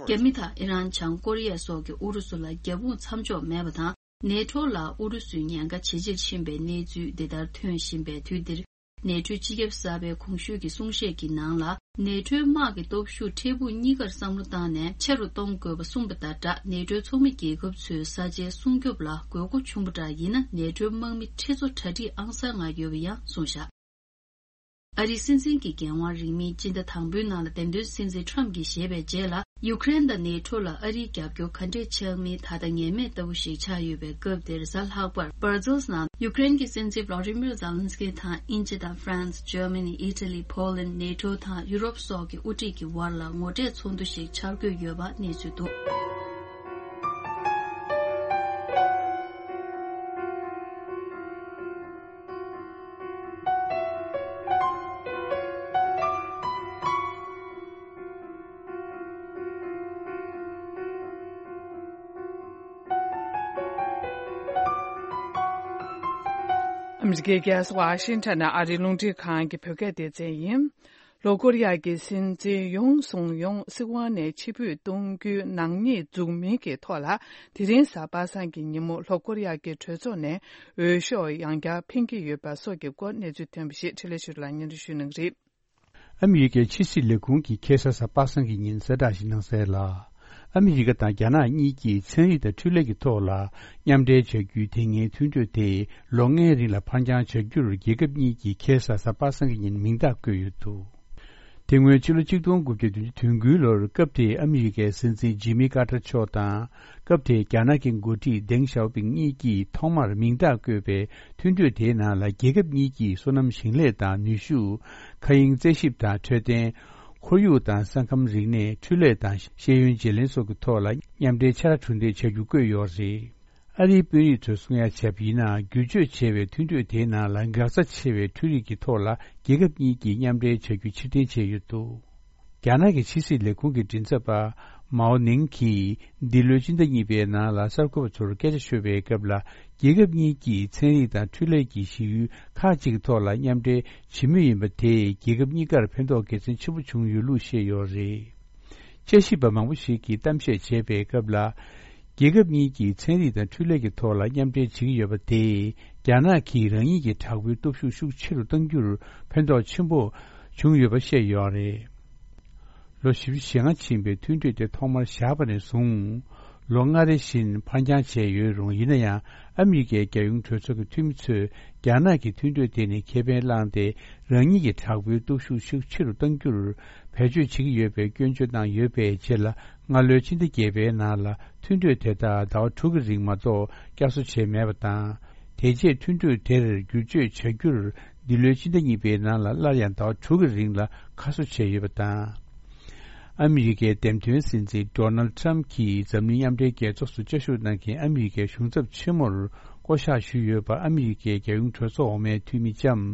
རྒྱ་མི་དང་ཨི་རན། བྱང་ཀོ་རི་ཡ་སོགས་ཀྱིས་ཨུ་རུ་སུ་ལ་རྒྱབ་དཔུང་མཚམས་འཇོག་མེད་པ་དང་། ནེ་ཊོ་ལ་ཨུ་རུ་སུའི་ཉེན་ཁ་ཇེ་ཆེར་ཕྱིན་པའི་གནས་ཚུལ་འདི་ལྟར་ཐོན་བཞིན་པའི་དུས་འདིར། ནེ་ཊོའི་སྤྱི་ཁྱབ་གསར་པས་གོང་ཞུས་ཀྱི་གསུང་བཤད་ཀྱི་ནང་ལ། ནེ་ཊོའི་དམག་གི་སྟོབས་ཤུགས་འཕྲལ་ཕུགས་གཉིས་ཀར་བསམ་བློ་བཏང་ནས་ཆེ་རུ་གཏོང་དགོས་པ་གསུངས་པ་དང་སྦྲགས། ནེ་ཊོའི་ཚོགས་མི་རྒྱལ་ཁབ་ཚོས་ས་ཆའི་སྲུང་སྐྱོབ་ལ་དགོས་མཁོ་ཆུང་པོ་འདྲ་ཡིན་ན། ནེ་ཊོའི་དམག་མི་ཁྲི་ཚོ་གྲ་སྒྲིག་ཨང་གསར་ལྔ་ཡོད་པ་ཡང་གསུངས་བཞག་ཨ་རིའི་སྲིད་འཛིན་གྱི་འགན་དབང་རིང་མིན་སྤྱི་ཟླ་དང་པོའི་ནང་ལ་འདེམས་ཐོན་སྲིད་འཛིན་ཊམ་གྱིས་བཞེས་པའི་རྗེས་ལ། ཡུ་ཀེ་རེན་དང་ནེ་ཊོ་ལ་ཨ་རིའི་རྒྱབ་སྐྱོར་ག་འདྲས་ཆགས་མིན་ད་ལྟ་ངེས་མེད་ལྟ་བུ་ཞིག་ཆགས་ཡོད་པའི་སྐབས་དེར། གཟའ་ལྷག་པར་སྦར་ཛིལ་ནང་ཡུ་ཀེ་རེན་གྱི་སྲིད་འཛིན་ཝ་ལ་ཌི་མིར་ཛེ་ལན་སི་ཀི་དང་དབྱིན་ཇི་དང་ཧྥ་རན་སི། འཇར་མ་ནི། ཨི་ཊ་ལི། ཕོ་ལན། ནེ་ཊོ་དང་ཡུ་རོབ་སོགས་ཀྱི་དབུ་ཁྲིད་ཀྱི་བར་ལ་ངོ་འཕྲད་ཚོགས་འདུ་ཞིག་འཆར་འགོད་ཡོད་པ་གནས་ཚུལ་འདུག་ཨ་མི་རི་ཀའི་རྒྱལ་ས་ཝ་ཤིང་ཊོན་ནས་ཨ་རིའི་རླུང་འཕྲིན་ཁང་གི་བོད་སྐད་སྡེ་ཚན་ཡིན། ལྷོ་ཀོ་རི་ཡ་གི་སྲིད་འཛིན་ཡོང་སུང་ཡོང་སྲིད་དབང་ནས་ཕྱིར་འབུད་གཏོང་རྒྱུའི་ནག་ཉེས་འཛུགས་མིན་གྱི་ཐོག་ལ། དེ་རིང་གཟའ་པ་སངས་ཀྱི་ཉིན་མོ་ལྷོ་ཀོ་རི་ཡ་གི་གྲོས་ཚོགས་ནས་འོས་ཤོག་ཡང་བསྐྱར་འཕེན་གྱི་ཡོད་པ་སོགས་ཀྱི་སྐོར་གནས་ཚུལ་ཐོན་པ་ཞིག་འཕྲིན་ལས་ཆོས་སྒྲོན་ལགས་སྙན་སྒྲོན་ཞུ་གནང་གི་རེད། ཨ་མི་རི་ཀའི་ཕྱི་སྲིད་ལས་ཁུངས་ཀྱིས་ཁ་སང་གཟའ་པ་སངས་ཀྱི་ཉིན་གསལ་བསྒྲགས་ཤིག་གནང་གསལ་ལ། ཨ་མི་རི་ཀ་དང་རྒྱ་ནག་གཉིས་ཀྱིས་ཚན་རིག་དང་འཕྲུལ་ལས་ཀྱི་ཐོག་ལ་མཉམ་འབྲེལ་བྱ་རྒྱུའི་དེ་སྔའི་མཐུན་གྲོས་དེ་ལོ་ལྔའི་རིང་ལ་ཕར་འགྱངས་བྱ་རྒྱུར་རྒྱལ་ཁབ་གཉིས་ཀྱིས་ཁ་སང་གཟའ་པ་སངས་ཀྱི་ཉིན་མིང་རྟགས་བཀོད་ཡོད་འདུག་དེ་སྔོན་ཕྱི་ལོ་ཆིག་སྟོང་དགུ་བརྒྱ་བདུན་ཅུ་དོན་དགུའི་ལོར་སྐབས་དེའི་ཨ་མི་རི་ཀའི་སྲིད་འཛིན་ཇི་མི་ཀར་ཏར་མཆོག་དང་། སྐབས་དེའི་རྒྱ་ནག་གི་འགོ་ཁྲིད་ཏེང་ཞའོ་ཕིང་གཉིས་ཀྱིས་ཐོག་མར་མིང་རྟགས་བཀོད་པའི་མཐུན་གྲོས་དེའི་ནང་ལ། རྒྱལ་ཁབ་གཉིས་ཀྱིས་སོ་ནམ་ཞིང་ལས་དང་ནུས་ཤུགས། མཁའ་དབྱིངས་རྩད་ཞིབ་དང་འཕྲོད་བསྟེན། ཁོར་ཡུག་དང་ས་ཁམས་རིག་གནས། འཕྲུལ་ལས་དང་ཤེས་ཡོན་བརྗེ་ལེན་སོགས་ཀྱི་ཐོག་ལ་མཉམ་འབྲེལ་ཕྱག་ལས་གྲུ་འདེགས་བྱ་རྒྱུ་བཀོད་ཡོད་རེད། ཨ་རིའི་དཔོན་རིགས་ཚོས་གསུང་ཡ་བྱས་པ་ཡིན་ན། བསྒྱུར་བཅོས་བྱས་པའི་མཐུན་གྲོས་དེའི་ནང་ལ་འགག་རྩ་ཆེ་བའི་འཕྲུལ་རིག་གི་ཐོག་ལ་རྒྱལ་ཁབ་གཉིས་ཀྱིས་མཉམ་འབྲེལ་བྱ་རྒྱུ་ཕྱིར་འཐེན་བྱས་ཡོད་འདུག་རྒྱ་ནག་གི་ཕྱི་སྲིད་ལས་ཁུངས་ཀྱི་མགྲིན་ཚབ་པ་མའོ་ནིང་གིས་འདི་ལོའི་སྤྱི་ཟླ་གཉིས་པའི་ནང་ལ་གསར་འགོད་པ་ཚོར་སྐད་ཆ་ཤོད་པའི་སྐབས་ལ། རྒྱལ་ཁབ་གཉིས་ཀྱིས་ཚན་རིག་དང་འཕྲུལ་ལས་ཀྱི་གཞི་ཡུལ་ཁག་ཅིག་གི་ཐོག་ལ་མཉམ་འབྲེལ་བྱེད་མུས་ཡིན་པ་དེས་རྒྱལ་ཁབ་གཉིས་ཀར་ཕན་ཐོགས་དགེ་མཚན་ཆེན་པོ་བྱུང་ཡོད་ལུགས་བཤད་ཡོད་རེད། དཔྱད་ཞིབ་པ་མང་པོ་ཞིག་གིས་གཏམ་བཤད་བྱས་པའི་སྐབས་ལ། རྒྱལ་ཁབ་གཉིས་ཀྱིས་ཚན་རིག་དང་འཕྲུལ་ལས་ཀྱི་ཐོག་ལ་མཉམ་འབྲེལ་བྱེད་ཀྱི་ཡོད་པ་དེས། རྒྱ་ནག་གིས་རང་ཉིད་ཀྱི་དྲག་པོའི་སྟོབས་ཤུགས་ཤུགས་ཆེ་རུ་གཏང་རྒྱུར་ཕན་ཐོགས་ཆེན་པོ་བྱུང་ཡོད་པ་བཤད་ཡོད་རེད། ལོ་བཞི་བཅུ་ཞེ་ལྔ་ཕྱིན་པའི་མཐུན་གྲོས་དེ་ཐོག་མར་བཞག་པ་ནས་བཟུང་། ལོ་ལྔ་རེ་བཞིན་ཕར་འགྱངས་བྱས་ཡོད་རུང་། ཡིན་ན་ཡང་། ཨ་མི་རི་ཀའི་རྒྱལ་ཡོངས་གྲོས་ཚོགས་ཀྱི་འཐུས་མི་ཚོས། རྒྱ་ནག་གིས་མཐུན་གྲོས་དེ་ནས་ཁེ་ཕན་བླངས་ཏེ། རང་ཉིད་ཀྱི་དྲག་པོའི་སྟོབས་ཤུགས་ཤུགས་ཆེ་རུ་གཏང་རྒྱུར་བེད་སྤྱོད་བྱེད་ཀྱི་ཡོད་པའི་སྐྱོན་བརྗོད་གནང་ཡོད་པའི་རྗེས་ལ། སྔ་ལོའི་ཕྱི་ཟླ་བརྒྱད་པའི་ནང་ལ། མཐུན་གྲོས་དེ་དག་ཟླ་བ་དྲུག་གི་རིང་མ་གཏོགས་བསྐྱར་གསོ་བྱས་མེད་པ་དང་། དེ་རྗེས་མཐུན་གྲོས་དེར་བསྒྱུར་བཅོས་བྱ་རྒྱུར། འདི་ལོའི་ཕྱི་ཟླ་གཉིས་པའི་ནང་ལ། སླར་ཡང་ཟླ་བ་དྲུག་གི་རིང་ལ་ཁ་གསོ་བྱས་ཡོད་པ་དང་། ཨ་མི་རི་ཀའི་འདེམས་ཐོན་སྲིད་འཛིན་ཌོ་ནལ་ཌི་ཊརམ་ཕི་གྱིས་འཛམ་གླིང་མཉམ་འབྲེལ་རྒྱལ་ཚོགས་སུ་བཅའ་བཞུགས་གནང་མཁན་ཨ་མི་རི་ཀའི་གཞུང་ཚབ་ཆེན་མོར་བསྐོ་གཞག་ཞུས་ཡོད་པ། ཨ་མི་རི་ཀའི་རྒྱལ་ཡོངས་གྲོས་ཚོགས་འོག་མའི་འཐུས་མི་ལྕམ་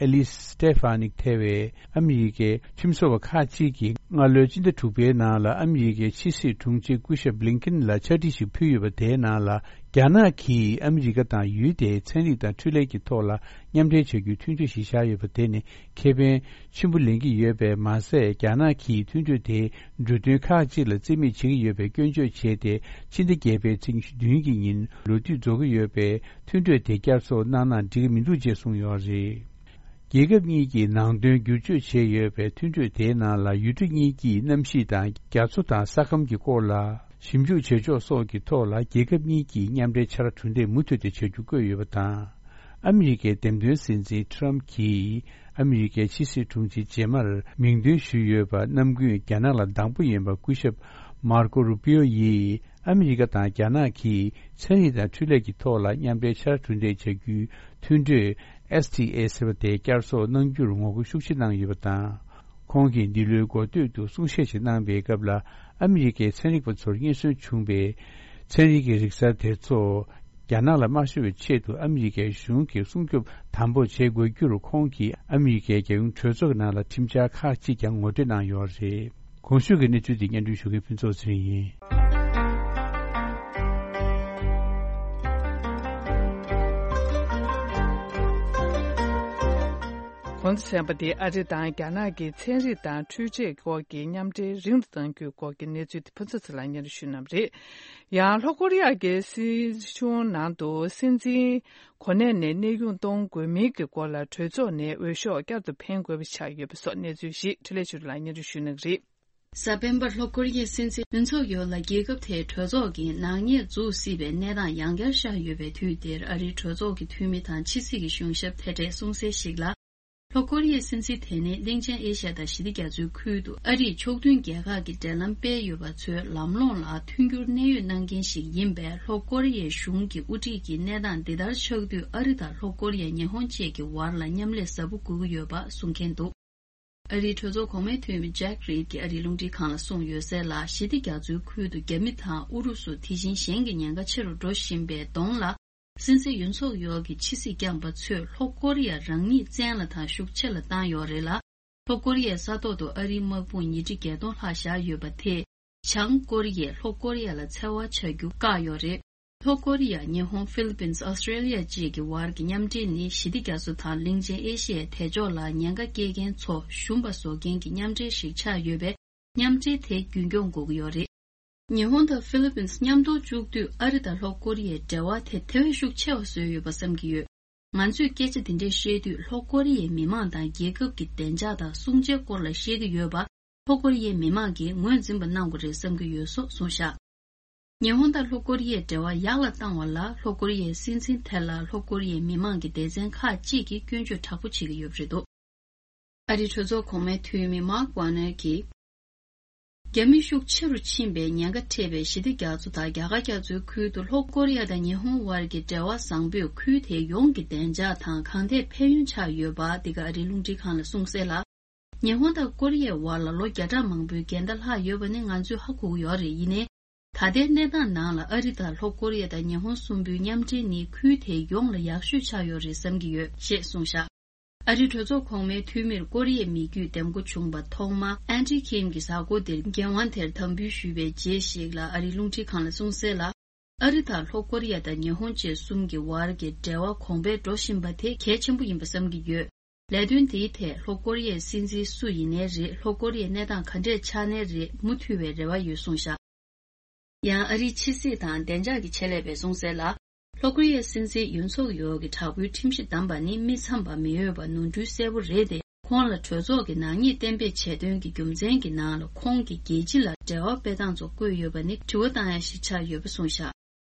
ཨེ་ལིས་སི་ཊེ་ཧྥ་ནིག་ཐེ་བས། ཨ་མི་རི་ཀའི་ཁྲིམས་བཟོ་བ་ཁག་ཅིག་གིས་སྔ་ལོའི་ཕྱི་ཟླ་དྲུག་པའི་ནང་ལ། ཨ་མི་རི་ཀའི་ཕྱི་སྲིད་དྲུང་ཆེ་སྐུ་ཞབས་བྷི་ལིན་ཀིན་ལ་ཕྱག་བྲིས་ཤིག་ཕུལ་ཡོད་པ། དེའི་ནང་ལ། རྒྱ་ནག་གིས་ཨ་མི་རི་ཀ་དང་ཡུལ་དེའི་ཚན་རིག་དང་འཕྲུལ་ལས་ཀྱི་ཐོག་ལ་མཉམ་འབྲེལ་བྱ་རྒྱུའི་མཐུན་གྲོས་ཤིག་བཞག་ཡོད་པ། དེ་ནི་ཁེ་ཕན་ཆེན་པོ་ལེན་གྱི་ཡོད་པས་མ་ཟད། རྒྱ་ནག་གིས་མཐུན་གྲོས་དེའི་འབྲུ་དོན་ཁག་ཅིག་ལ་རྩིས་མེད་བྱེད་ཀྱི་ཡོད་པའི་སྐྱོན་བརྗོད་བྱས་ཏེ། ཕྱི་ཟླ་བརྒྱད་པའི་ཚེས་ཉི་ཤུ་བདུན་གྱི་ཉིན་ལོ་དུས་རྫོགས་ཀྱི་ཡོད་པས། མཐུན་གྲོས་དེ་བསྐྱར་གསོ་གནང་ན་འགྲིག་གི་མི་འདུག་ཅེས་གསུངས་ཡོད་རེད། རྒྱལ་ཁབ་གཉིས་ཀྱིས་ནང་དོན་བསྒྱུར་བཅོས་བྱས་ཡོད་པའི་མཐུན་གྲོས་དེའི་ནང་ལ། ཡུལ་གྲུ་གཉིས་ཀྱིས་གནམ་གཤིས་དང་རྒྱ་མཚོ་དང་ས་ཁམས་ཀྱི་སྐོར་ལ་ཞིབ་འཇུག་བྱེད་ཕྱོགས་སོགས་ཀྱི་ཐོག་ལ། རྒྱལ་ཁབ་གཉིས་ཀྱིས་མཉམ་འབྲེལ་ཕྱག་ལས་གྲུ་འདེགས་མུ་མཐུད་དེ་བྱ་རྒྱུ་བཀོད་ཡོད་པ་དང་། ཨ་མི་རི་ཀའི་འདེམས་ཐོན་སྲིད་འཛིན་ཊརམ་གྱིས་ཨ་མི་རི་ཀའི་ཕྱི་སྲིད་དྲུང་ཆེ་རྗེས་མར་མིང་འདོན་ཞུས་ཡོད་པ། ནམ་རྒྱུན་རྒྱ་ནག་ལ་སྡང་པོ་ཡིན་པ། སྐུ་ཞབས་མར་ཀོ་རུ་པིའོ་ཡིས། ཨ་མི་རི་ཀ་དང་རྒྱ་ནག་གིས་ཚན་རིག་དང་འཕྲུལ་ལས་ཀྱི་ཐོག་ལ་མཉམ་འབྲེལ་ཕྱག་ལས་གྲུ་འདེགས་བྱ་རྒྱུའི་མཐུན་གྲོས་ཨེས་ཊི་ཨེ་ཟེར་བ་དེ་བསྐྱར་གསོ་གནང་རྒྱུར་ངོ་རྒོལ་ཤུགས་ཆེ་གནང་ཡོད་པ་དང་། ཁོང་གིས་འདི་ལོའི་འགོ་སྟོད་དུ་གསུང་བཤད་ཞིག་གནང་པའི་སྐབས་ལ། ཨ་མི་རི་ཀའི་ཚན་རིག་པ་ཚོར་རྙེད་སོན་བྱུང་བའི་ཚན་རིག་གི་རིག་གསར་དེ་ཚོ་རྒྱ་ནག་ལ་མ་ཤོར་བའི་ཆེད་དུ། ཨ་མི་རི་ཀའི་གཞུང་གིས་སྲུང་སྐྱོབ་དམ་པོ་བྱེད་དགོས་རྒྱུར། ཁོང་གིས་ཨ་མི་རི་ཀའི་རྒྱལ་ཡོངས་གྲོས་ཚོགས་ཀྱི་ནང་ལ་ཁྲིམས་འཆར་ཁག་ཅིག་ཀྱང་ངོ་སྤྲོད་གནང་ཡོད་རེད། གོང་ཞུས་ཀྱི་གནས་ཚུལ་འདི་སྙན་སྒྲོན་ཞུ་མཁན་ཕུན་ཚོགས་ཚེ་རིང་ཡིན། གོང་དུ་གསན་པ་དེ་ཨ་རི་དང་རྒྱ་ནག་གི་ཚན་རིག་དང་འཕྲུལ་ཆས་སྐོར་གྱི་མཉམ་འབྲེལ་རིང་དུ་གཏང་རྒྱུའི་སྐོར་གྱི་གནས་ཚུལ་དེ་ཕུན་ཚོགས་ཚེ་ལགས་སྙན་སྒྲོན་ཞུ་གནང་བ་རེད། ཡང་ལྷོ་ཀོ་རི་ཡ་གི་སྲིད་གཞུང་ནང་དུ་སྲིད་འཛིན་གོ་གནས་ནས་གནས་དབྱུང་གཏོང་དགོས་མིན་གྱི་སྐོར་ལ་གྲོས་ཚོགས་ནས་འོས་ཤོག་བསྐྱར་དུ་འཕེན་དགོས་པ་ཆགས་ཡོད་པ་སོགས་གནས་ཚུལ་ཞིག་འཕྲིན་ལས་ཆོས་སྒྲོན་ལགས་སྙན་སྒྲོན་ཞུ་གནང་གི་རེད། གཟའ་སྤེན་པར་ལྷོ་ཀོ་རི་ཡའི་སྲིད་འཛིན་ཡུན་སུག་ཡོལ་ལ་རྒྱལ་ཁབ་དེའི་གྲོས་ཚོགས་ཀྱིས་ནག་ཉེས་འཛུགས་སྲིད་པའི་གནས་སྟངས་ཡང་བསྐྱར་ཤར་ཡོད་པའི་དུས་འདིར། ཨ་རིའི་གྲོས་ཚོགས་ཀྱི་འཐུས་མི་དང་ཕྱི་སྲིད་ཀྱི་གཞུང་ཞབས་ཐེ་གྲས་གསུངས་གསལ་ཞིག་ལ། ལྷོ་ཀོ་རི་ཡའི་སྲིད་འཛིན་དེ་ནི་གླིང་ཆེན་ཨེ་ཤ་ཡ་དང་ཞི་བདེ་རྒྱ་མཚོའི་ཁུལ་དུ་ཨ་རིས་ཕྱོགས་མཐུན་རྒྱལ་ཁག་གི་འབྲེལ་ལམ་སྤེལ་ཡོད་པ་ཚོའི་ལམ་ལྷོང་ལ་མཐུན་འགྱུར་གནད་ཡོད་གནང་མཁན་ཞིག་ཡིན་པས། ལྷོ་ཀོ་རི་ཡའི་གཞུང་གི་དབུ་ཁྲིད་ཀྱིས་གནས་སྟངས་འདི་ལྟར་ཆགས་དུས། ཨ་རི་དང་ལྷོ་ཀོ་རི་ཡ། ཉི་ཧོང་བཅས་ཀྱི་བར་ལ་མཉམ་ལས་ཟབ་པོ་དགོས་ཀྱི་ཡོད་པ་གསུང་མཁན་འདུག་ཨ་རིའི་གྲོས་ཚོགས་གོང་མའི་འཐུས་མི་ཇེག་རིད་ཀྱིས་ཨ་རིའི་རླུང་འཕྲིན་ཁང་ལ་གསུངས་ཡོད་གསལ་ལ། ཞི་བདེ་རྒྱ་མཚོའི་ཁུལ་དུ་རྒྱ་མི་དང་ཨུ་རུ་སུ། དེ་བཞིན་གཞན་གྱི་ཉེན་ཁ་ཆེ་རུ་འགྲོ་བཞིན་པའི་གདོང་ལ། སྲིད་འཛིན་ཡུན་སུག་ཡོལ་གྱི་ཕྱི་སྲིད་བསྐྱངས་པ་ཚོས་ལྷོ་ཀོ་རི་ཡ་རང་ཉིད་བཙན་ལ་དང་ཤུགས་ཆེ་ལ་བཏང་ཡོད་རེད་ལ། ལྷོ་ཀོ་རི་ཡའི་ས་ཐོག་ཏུ་ཨ་རིའི་དམག་དཔུང་ཉིས་ཁྲི་བརྒྱད་སྟོང་ལྷག་བཞག་ཡོད་པ་དེས། བྱང་ཀོ་རི་ཡས་ལྷོ་ཀོ་རི་ཡ་ལ་འཚེ་བ་བྱ་རྒྱུ་བཀག་ཡོད་རེད། ལྷོ་ཀོ་རི་ཡ། ཉི་ཧོང་། ཧྥི་ལི་པིན། ཨོ་སི་ཀྲེ་ལི་ཡ་བཅས་ཀྱི་བར་གྱི་མཉམ་འབྲེལ་ནི། ཞི་བདེ་རྒྱ་མཚོ་དང་གླིང་ཆེན་ཨེ་ཤི་ཡའི་དལ་འབྱོར་ལ་ཉེན་ཁ་སྐྱེལ་མཁན་ཚོ་ཞུམ་པ་བཟོ་མཁན་གྱི་མཉམ་འབྲེལ་ཞིག་ཆགས་ཡོད་པས། མཉམ་འབྲེལ་དེ་རྒྱུན་སྐྱོང་དགོས་ཀྱི་ཡོད་རེད། ཉི་ཧོང་དང་ཧྥི་ལི་པིན་མཉམ་དུ་བཅུག་དུས། ཨ་རི་དང་ལྷོ་ཀོ་རི་ཡའི་འབྲེལ་བ་དེ་དེ་བས་ཤུགས་ཆེ་བ་བཟོས་ཡོད་པ་བསམ་གྱི་ཡོད། ང་ཚོས་སྐད་ཆ་འདི་འདྲས་བཤད་དུས། ལྷོ་ཀོ་རི་ཡའི་མི་མང་དང་རྒྱལ་ཁབ་ཀྱི་བདེ་འཇགས་དང་སྲུང་བྱའི་སྐོར་ལ་བཤད་ཀྱི་ཡོད་པ། ལྷོ་ཀོ་རི་ཡའི་མི་མང་གིས་ངོས་འཛིན་པ་གནང་དགོས་རེད་བསམ་གྱི་ཡོད་སོགས་གསུངས་བཞག་ཉི་ཧོང་དང་ལྷོ་ཀོ་རི་ཡའི་འབྲེལ་བ་ཡག་ལ་བཏང་བ་ལ། ལྷོ་ཀོ་རི་ཡའི་སྲིད་འཛིན་དེ་ལ་ལྷོ་ཀོ་རི་ཡའི་མི་མང་གི་སྡེ་ཚན་ཁག་ཅིག་གིས་སྐྱོན་བརྗོད་དྲག་པོ་བྱེད་ཀྱི་ཡོད་པ་རེད་འདུག་ཨ་རིའི་གྲོས་ཚོགས་གོང་མའི་འཐུས་མི་མཱག་ཝ་ནེར་གྱིས། རྒྱ་མི་ཤུགས་ཆེ་རུ་ཕྱིན་པའི་ཉེན་ཁ་འཕྲད་པའི་ཞི་བདེ་རྒྱ་མཚོ་དང་རྒྱ་གར་རྒྱ་མཚོའི་ཁུལ་དུ། ལྷོ་ཀོ་རི་ཡ་དང་ཉི་ཧོང་བར་གྱི་འབྲེལ་བ་བཟང་པོས་ཁུལ་དེ་ཡོངས་ཀྱི་བདེ་འཇགས་དང་གང་ཐད་ཕན་ཡོན་ཆགས་ཡོད་པ། འདི་ག་ཨ་རིའི་རླུང་འཕྲིན་ཁང་ལ་གསུངས་གསལ་ལ། ཉི་ཧོང་དང་ཀོ་རི་ཡའི་བར་ལ་ལོ་བརྒྱ་ཕྲག་མང་པོའི་འགལ་ཟླ་ལྷག་ཡོད་པ་ནི་ང་ཚོས་ཧ་གོ་གི་ཡོད་རེད། ཡིན་ནའི། ད་ལྟའི་གནས་སྟངས་ནང་ལ་ཨ་རི་དང་ལྷོ་ཀོ་རི་ཡ་དང་ཉི་ཧོང་གསུམ་པོའི་མཉམ་འབྲེལ་ནི་ཁུལ་དེའི་ཡོངས་ལ་ཡག་ཤོས་ཆགས་ཡོད་རེད་བསམ་གྱི་ཡོད་ཞེས་གསུངས་བཞག་ཨ་རིའི་གྲོས་ཚོགས་གོང་མའི་འཐུས་མིར་ཀོ་རི་ཡའི་མི་རྒྱུད་འདེམས་བསྐོ་བྱུང་བ་ཐོག་མ་ཨན་ཌི་ཁིམ་གྱིས་གཟའ་འཁོར་འདིར་འགན་དབང་དེར་དམ་འབུལ་ཞུས་པའི་རྗེས་ཤིག་ལ། ཨ་རིའི་རླུང་འཕྲིན་ཁང་ལ་གསུངས་གསལ་ལ། ཨ་རི་དང་ལྷོ་ཀོ་རི་ཡ་དང་ཉི་ཧོང་བཅས་གསུམ་གྱི་བར་གྱི་འབྲེལ་བ་གོང་འཕེལ་འགྲོ་བཞིན་པ་དེ་གལ་ཆེན་པོ་ཡིན་པ་བསམ་གྱི་ཡོད། ལས་དོན་དེའི་ཐད་ལྷོ་ཀོ་རི་ཡའི་སྲིད་འཛིན་སུ་ཡིན་ནའི་རེད། ལྷོ་ཀོ་རི་ཡའི་གནས་སྟངས་ག་འདྲས་ཆགས་ནའི་རེད། མུ་མཐུད་པའི་རེ་བ་ཡོད་གསུངས་བཞག་ཡང་ཨ་རིའི་ཕྱི་སྲིད་དང་བདེ་འཇགས་ཀྱི་ཆེད་ལས་པས་གསུངས་གསལ་ལ། ལྷོ་ཀོ་རི་ཡའི་སྲིད་འཛིན་ཡུན་སུག་ཡོལ་གྱི་དྲག་པོའི་ཁྲིམས་གཞི་བསྡམས་པ་ནི་མི་འཚམས་པ་མི་འོས་པ་ནོར་འཁྲུལ་གསལ་པོ་རེད་དེ། ཁོང་ལ་གྲོས་ཚོགས་ཀྱི་ནག་ཉེས་གཏན་འབེབས་བྱས་དོན་གྱི་རྒྱུ་མཚན་གྱི་ནང་ལ། ཁོང་གིས་རྒྱལ་སྤྱི་ལ་འབྲེལ་བ་སྤེལ་སྟངས་ཚོ་བཀོད་ཡོད་པ་ནི་དྲི་བ་བཏང་ཡ་ཞིག་ཆགས་ཡོད་པ་གསུངས་བཞག་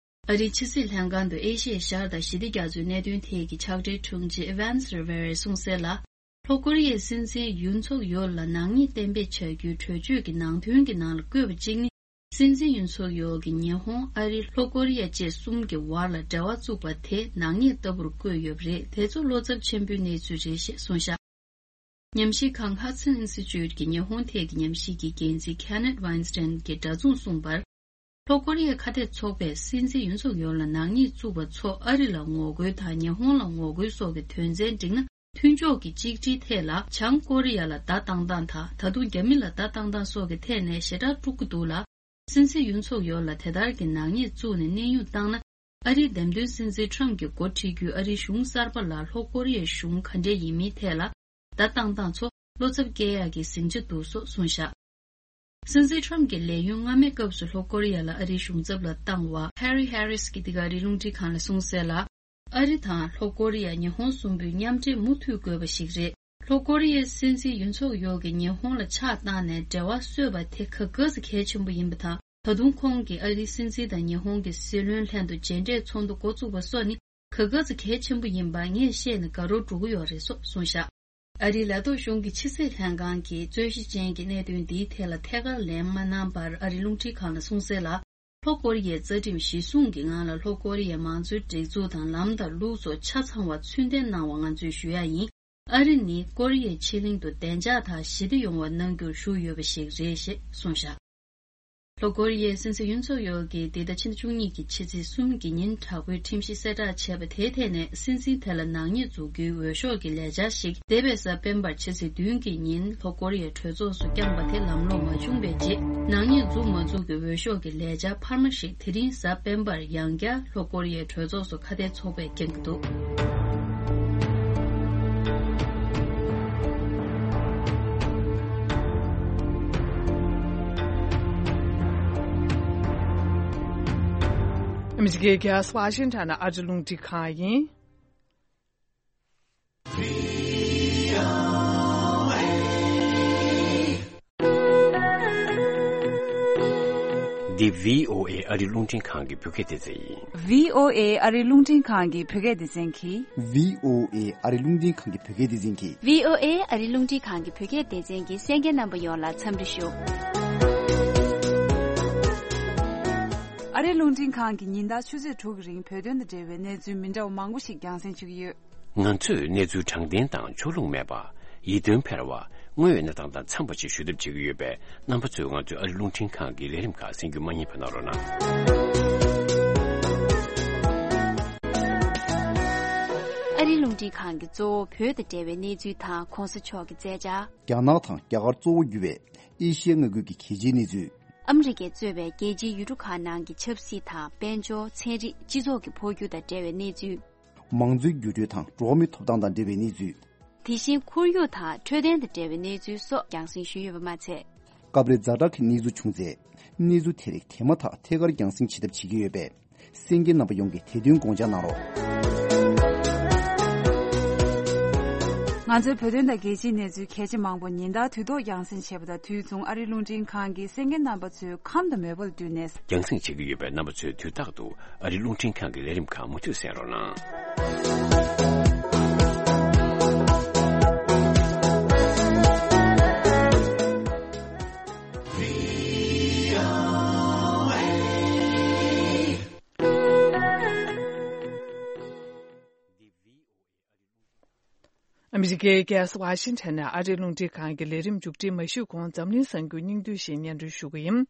ཨ་རིའི་ཕྱི་སྲིད་ལྷན་ཁང་དུ་ཨེ་ཤི་ཡའི་ཤར་དང་ཞི་བདེ་རྒྱ་མཚོའི་གནད་དོན་ཐད་ཀྱི་ཕྱག་སྦྲེལ་དྲུང་ཆེ་ཨི་ཝན་སི་རི་ཝེ་རེས་གསུངས་གསལ་ལ། ལྷོ་ཀོ་རི་ཡའི་སྲིད་འཛིན་ཡུན་སུག་ཡོལ་ལ་ནག་ཉེས་གཏན་འབེབས་བྱ་རྒྱུའི་གྲོས་ཆོད་ཀྱི་ནང་དོན་གྱི་ནང་ལ་བཀོད་པ་གཅིག་ནི། སྲིད་འཛིན་ཡུན་སུག་ཡོལ་གྱིས་ཉི་ཧོང་། ཨ་རི། ལྷོ་ཀོ་རི་ཡ་བཅས་གསུམ་གྱི་བར་ལ་འབྲེལ་བ་བཙུགས་པ་དེ་ནག་ཉེས་ལྟ་བུར་བཀོད་ཡོད་པ་རེད། དེ་ཚོ་བློ་འཚབ་ཆེན་པོའི་གནས་ཚུལ་རེད་ཞེས་གསུངས་བཞག་ཉམས་ཞིབ་ཁང་Hudson Institute གྱི་ཉི་ཧོང་ཐད་ཀྱི་ཉམས་ཞིབ་ཀྱི་འགན་འཛིན་Kenneth Weinstein གྱིས་འདྲ་མཚུངས་གསུངས་པར། ལྷོ་ཀོ་རི་ཡའི་ཁ་གཏད་ཚོགས་པས་སྲིད་འཛིན་ཡུན་སུག་ཡོལ་ལ་ནག་ཉེས་བཙུགས་པ་ཚོ་ཨ་རི་ལ་ངོ་རྒོལ་དང་ཉི་ཧོང་ལ་ངོ་རྒོལ་སོགས་ཀྱི་དོན་ཚན་བསྒྲིགས་ན། མཐུན་ཕྱོགས་ཀྱི་གཅིག་སྒྲིལ་ཐད་ལ་བྱང་ཀོ་རི་ཡ་ལ་བརྡ་བཏང་སྟངས་དང་། ད་དུང་རྒྱ་མི་ལ་བརྡ་བཏང་སྟངས་སོགས་ཀྱི་ཐད་ནས་ཞེ་དྲག་དཀྲུག་གི་འདུག་ལ། སྲིད་འཛིན་ཡུན་སུག་ཡོལ་ལ་དེ་ལྟར་གྱི་ནག་ཉེས་བཙུགས་ནས་གནས་དབྱུང་བཏང་ན། ཨ་རིའི་འདེམས་ཐོན་སྲིད་འཛིན་ཁྲམ་གྱིས་འགོ་ཁྲིད་རྒྱུའི་ཨ་རིའི་གཞུང་གསར་པ་ལ་ལྷོ་ཀོ་རི་ཡའི་གཞུང་ག་འདྲས་ཡིན་མིན་ཐད་ལ་བརྡ་བཏང་སྟངས་ཚོ་བློ་འཚབ་སྐྱེ་ཡག་གི་ཟིང་ཆ་འདུག་སོགས་གསུངས་བཞག་སྲིད་འཛིན་ཁྲམ་གྱི་ལས་ཡུན་སྔ་མའི་སྐབས་སུ་ལྷོ་ཀོ་རི་ཡ་ལ་ཨ་རིའི་གཞུང་ཚབ་ལ་བཏང་བ་ཧེ་རི་ཧེ་རིས་ཀྱིས་འདི་ག་ཨ་རིའི་རླུང་འཕྲིན་ཁང་ལ་གསུངས་གསལ་ལ། ཨ་རི་དང་ལྷོ་ཀོ་རི་ཡ། ཉི་ཧོང་གསུམ་པོའི་མཉམ་འབྲེལ་མུ་མཐུད་དགོས་པ་ཞིག་རེད། ལྷོ་ཀོ་རི་ཡའི་སྲིད་འཛིན་ཡུན་སུག་ཡོལ་གྱིས་ཉི་ཧོང་ལ་ཕྱག་བཏང་ནས་འབྲེལ་བ་གསོས་པ་དེ་ག་ག་ཙམ་གལ་ཆེན་པོ་ཡིན་པ་དང་། ད་དུང་ཁོང་གིས་ཨ་རིའི་སྲིད་འཛིན་དང་ཉི་ཧོང་གི་སྲིད་བློན་ལྷན་དུ་མཇལ་འཕྲད་ཚོགས་འདུ་འགོ་བཙུགས་པ་སོགས་ནི་ག་ག་ཙམ་གལ་ཆེན་པོ་ཡིན་པ་ངས་བཤད་ནས་དགའ་རབ་འགྲོ་གི་ཡོད་རེད་སོགས་གསུངས་བཞག་ཨ་རིའི་ལས་ཐོག་གཞུང་གི་ཕྱི་སྲིད་ལྷན་ཁང་གིས་རྩོད་གཞི་ཅན་གྱི་གནད་དོན་འདིའི་ཐད་ལ་ཐད་ཀར་ལན་མ་གནང་བར། ཨ་རིའི་རླུང་འཕྲིན་ཁང་ལ་གསུངས་གསལ་ལ། ལྷོ་ཀོ་རི་ཡའི་རྩ་ཁྲིམས་གཞིར་བཟུང་གི་ངང་ལ་ལྷོ་ཀོ་རི་ཡའི་མང་གཙོའི་སྒྲིག་འཛུགས་དང་ལམ་དང་ལུགས་སོགས་ཆ་ཚང་བ་ཚུལ་ལྡན་གནང་བ་ང་ཚོས་ཞུ་ཡ་ཡིན། ཨ་རི་ནི་ཀོ་རི་ཡའི་ཕྱེད་གླིང་དུ་བདེ་འཇགས་དང་ཞི་བདེ་ཡོང་བ་གནང་རྒྱུར་ཞུགས་ཡོད་པ་ཞིག་རེད་ཞེས་གསུངས་བཞག་ལྷོ་ཀོ་རི་ཡའི་སྲིད་འཛིན་ཡུན་སུག་ཡོལ་གྱིས་འདི་ཟླ་ཕྱི་ཟླ་བཅུ་གཉིས་ཀྱི་ཕྱི་ཚེས་གསུམ་གྱི་ཉིན་དྲག་པོའི་ཁྲིམས་གཞི་གསལ་བསྒྲགས་བྱས་པ་དེའི་ཐད་ནས། སྲིད་འཛིན་དེ་ལ་ནག་ཉེས་འཛུགས་རྒྱུའི་འོས་ཤོག་གི་ལས་འཆར་ཞིག་འདས་པའི་གཟའ་སྤེན་པར་ཕྱི་ཚེས་བདུན་གྱི་ཉིན་ལྷོ་ཀོ་རི་ཡའི་གྲོས་ཚོགས་སུ་བསྐྱངས་པ་དེ་ལམ་ལྷོང་མ་བྱུང་བའི་རྗེས། ནག་ཉེས་འཛུགས་མ་འཛུགས་ཀྱི་འོས་ཤོག་གི་ལས་འཆར་འཕར་མ་ཞིག་དེ་རིང་གཟའ་སྤེན་པར་ཡང་བསྐྱར་ལྷོ་ཀོ་རི་ཡའི་གྲོས་ཚོགས་སུ་ཁ་གཏད་ཚོགས་པས་བསྐྱངས་ཀྱི་འདུག་ཨ་མི་རི་ཀའི་རྒྱལ་ས་ཝ་ཤིང་ཊོན་ནས་ཨ་རིའི་རླུང་འཕྲིན་ཁང་ཡིན། འདི་བྷི་ཨོ་ཨེ་ཨ་རིའི་རླུང་འཕྲིན་ཁང་གི་བོད་སྐད་སྡེ་ཚན་ཡིན། བྷི་ཨོ་ཨེ་ཨ་རིའི་རླུང་འཕྲིན་ཁང་གི་བོད་སྐད་སྡེ་ཚན་གྱིས། བྷི་ཨོ་ཨེ་ཨ་རིའི་རླུང་འཕྲིན་ཁང་གི་བོད་སྐད་སྡེ་ཚན་གྱིས། བྷི་ཨོ་ཨེ་ཨ་རིའི་རླུང་འཕྲིན་ཁང་གི་བོད་སྐད་སྡེ་ཚན་གྱི་གསན་མཁན་རྣམ་པ་ཡོངས་ལ་འཚམས་འདྲི་ཞུ། ཨ་རིའི་རླུང་འཕྲིན་ཁང་གིས་ཉིན་ལྟར་ཆུ་ཚོད་དྲུག་གི་རིང་བོད་དོན་དང་འབྲེལ་བའི་གནས་ཚུལ་མི་འདྲ་བ་མང་པོ་ཞིག་རྒྱང་སྲིང་ཞུ་གི་ཡོད། ང་ཚོས་གནས་ཚུལ་དྲང་བདེན་དང་ཕྱོགས་ལྷུང་མེད་པ། ཡིད་རྟོན་འཕེར་བ། དངོས་ཡོད་གནས་སྟངས་དང་འཚམས་པ་ཞིག་ཞུ་ཐབས་བྱེད་ཀྱི་ཡོད་པས། རྣམ་པ་ཚོས་ང་ཚོའི་ཨ་རིའི་རླུང་འཕྲིན་ཁང་གི་ལས་རིམ་ཁག་གསན་རྒྱུ་མ་བསྙེལ་བ་གནང་རོགས་གནང་། ཨ་རིའི་རླུང་འཕྲིན་ཁང་གིས་གཙོ་བོ་བོད་དང་འབྲེལ་བའི་གནས་ཚུལ་དང་གོང་ས་མཆོག་གི་མཛད་འཆར། རྒྱ་ནག་དང་རྒྱ་གར་གཙོ་བོ་གྱུར་བའི་ཨེ་ཤི་ཡའི་མངའ་ཁུལ་གྱི་གལ་ཆེའི་གནས་ཚུལ། ཨ་མི་རི་ཀས་གཙོས་པའི་རྒྱལ་སྤྱིའི་ཡུལ་གྲུ་ཁག་ནང་གི་ཆབ་སྲིད་དང་དཔལ་འབྱོར། ཚན་རིག་སྤྱི་ཚོགས་ཀྱི་འཕོ་འགྱུར་དང་འབྲེལ་བའི་གནས་ཚུལ། མང་གཙོའི་འགྱུར་འགྲོས་དང་འགྲོ་བ་མིའི་ཐོབ་ཐང་དང་འབྲེལ་བའི་གནས་ཚུལ། དེ་བཞིན་ཁོར་ཡུག་དང་འཕྲོད་བསྟེན་དང་འབྲེལ་བའི་གནས་ཚུལ་སོགས་རྒྱང་སྲིང་ཞུས་ཡོད་པ་མ་ཚད། སྐབས་རེ་ཛ་དྲག་གི་གནས་ཚུལ་བྱུང་ཚེ། གནས་ཚུལ་དེ་རིགས་དེ་མ་ཐག་ཐད་ཀར་རྒྱང་སྲིང་བྱེད་ཐབས་བྱེད་ཀྱི་ཡོད་པས། གསན་མཁན་རྣམ་པ་ཡོངས་ཀྱིས་དེ་དོན་དགོངས་འཇགས་གནང་རོགས། ང་ཚོའི་བོད་དོན་དང་རྒྱལ་སྤྱིའི་གནས་ཚུལ་གལ་ཆེ་མང་པོ་ཉིན་ལྟར་དུས་ཐོག་རྒྱང་སྲིང་བྱེད་པ་དང་དུས་མཚུངས་ཨ་རིའི་རླུང་འཕྲིན་ཁང་གིས་གསན་མཁན་རྣམ་པ་ཚོའི་ཁམས་དང་མོས་པ་ལ་བསྟུན་ནས། རྒྱང་སྲིང་བྱེད་ཀྱི་ཡོད་པས། རྣམ་པ་ཚོས་དུས་རྟག་ཏུ་ཨ་རིའི་རླུང་འཕྲིན་ཁང་གི་ལས་རིམ་ཁག་མུ་མཐུད་གསན་རོགས་གནང་། ཨ་མི་རི་ཀའི་རྒྱལ་ས་ཝ་ཤིང་ཊོན་ནས་ཨ་རིའི་རླུང་འཕྲིན་ཁང་གི་ལས་རིམ་མཇུག་སྒྲིལ་མ་ཞུས་གོང་འཛམ་གླིང་གསར་འགྱུར་སྙིང་བསྡུས་ཤིག་སྙན་སྒྲོན་ཞུ་གི་ཡིན།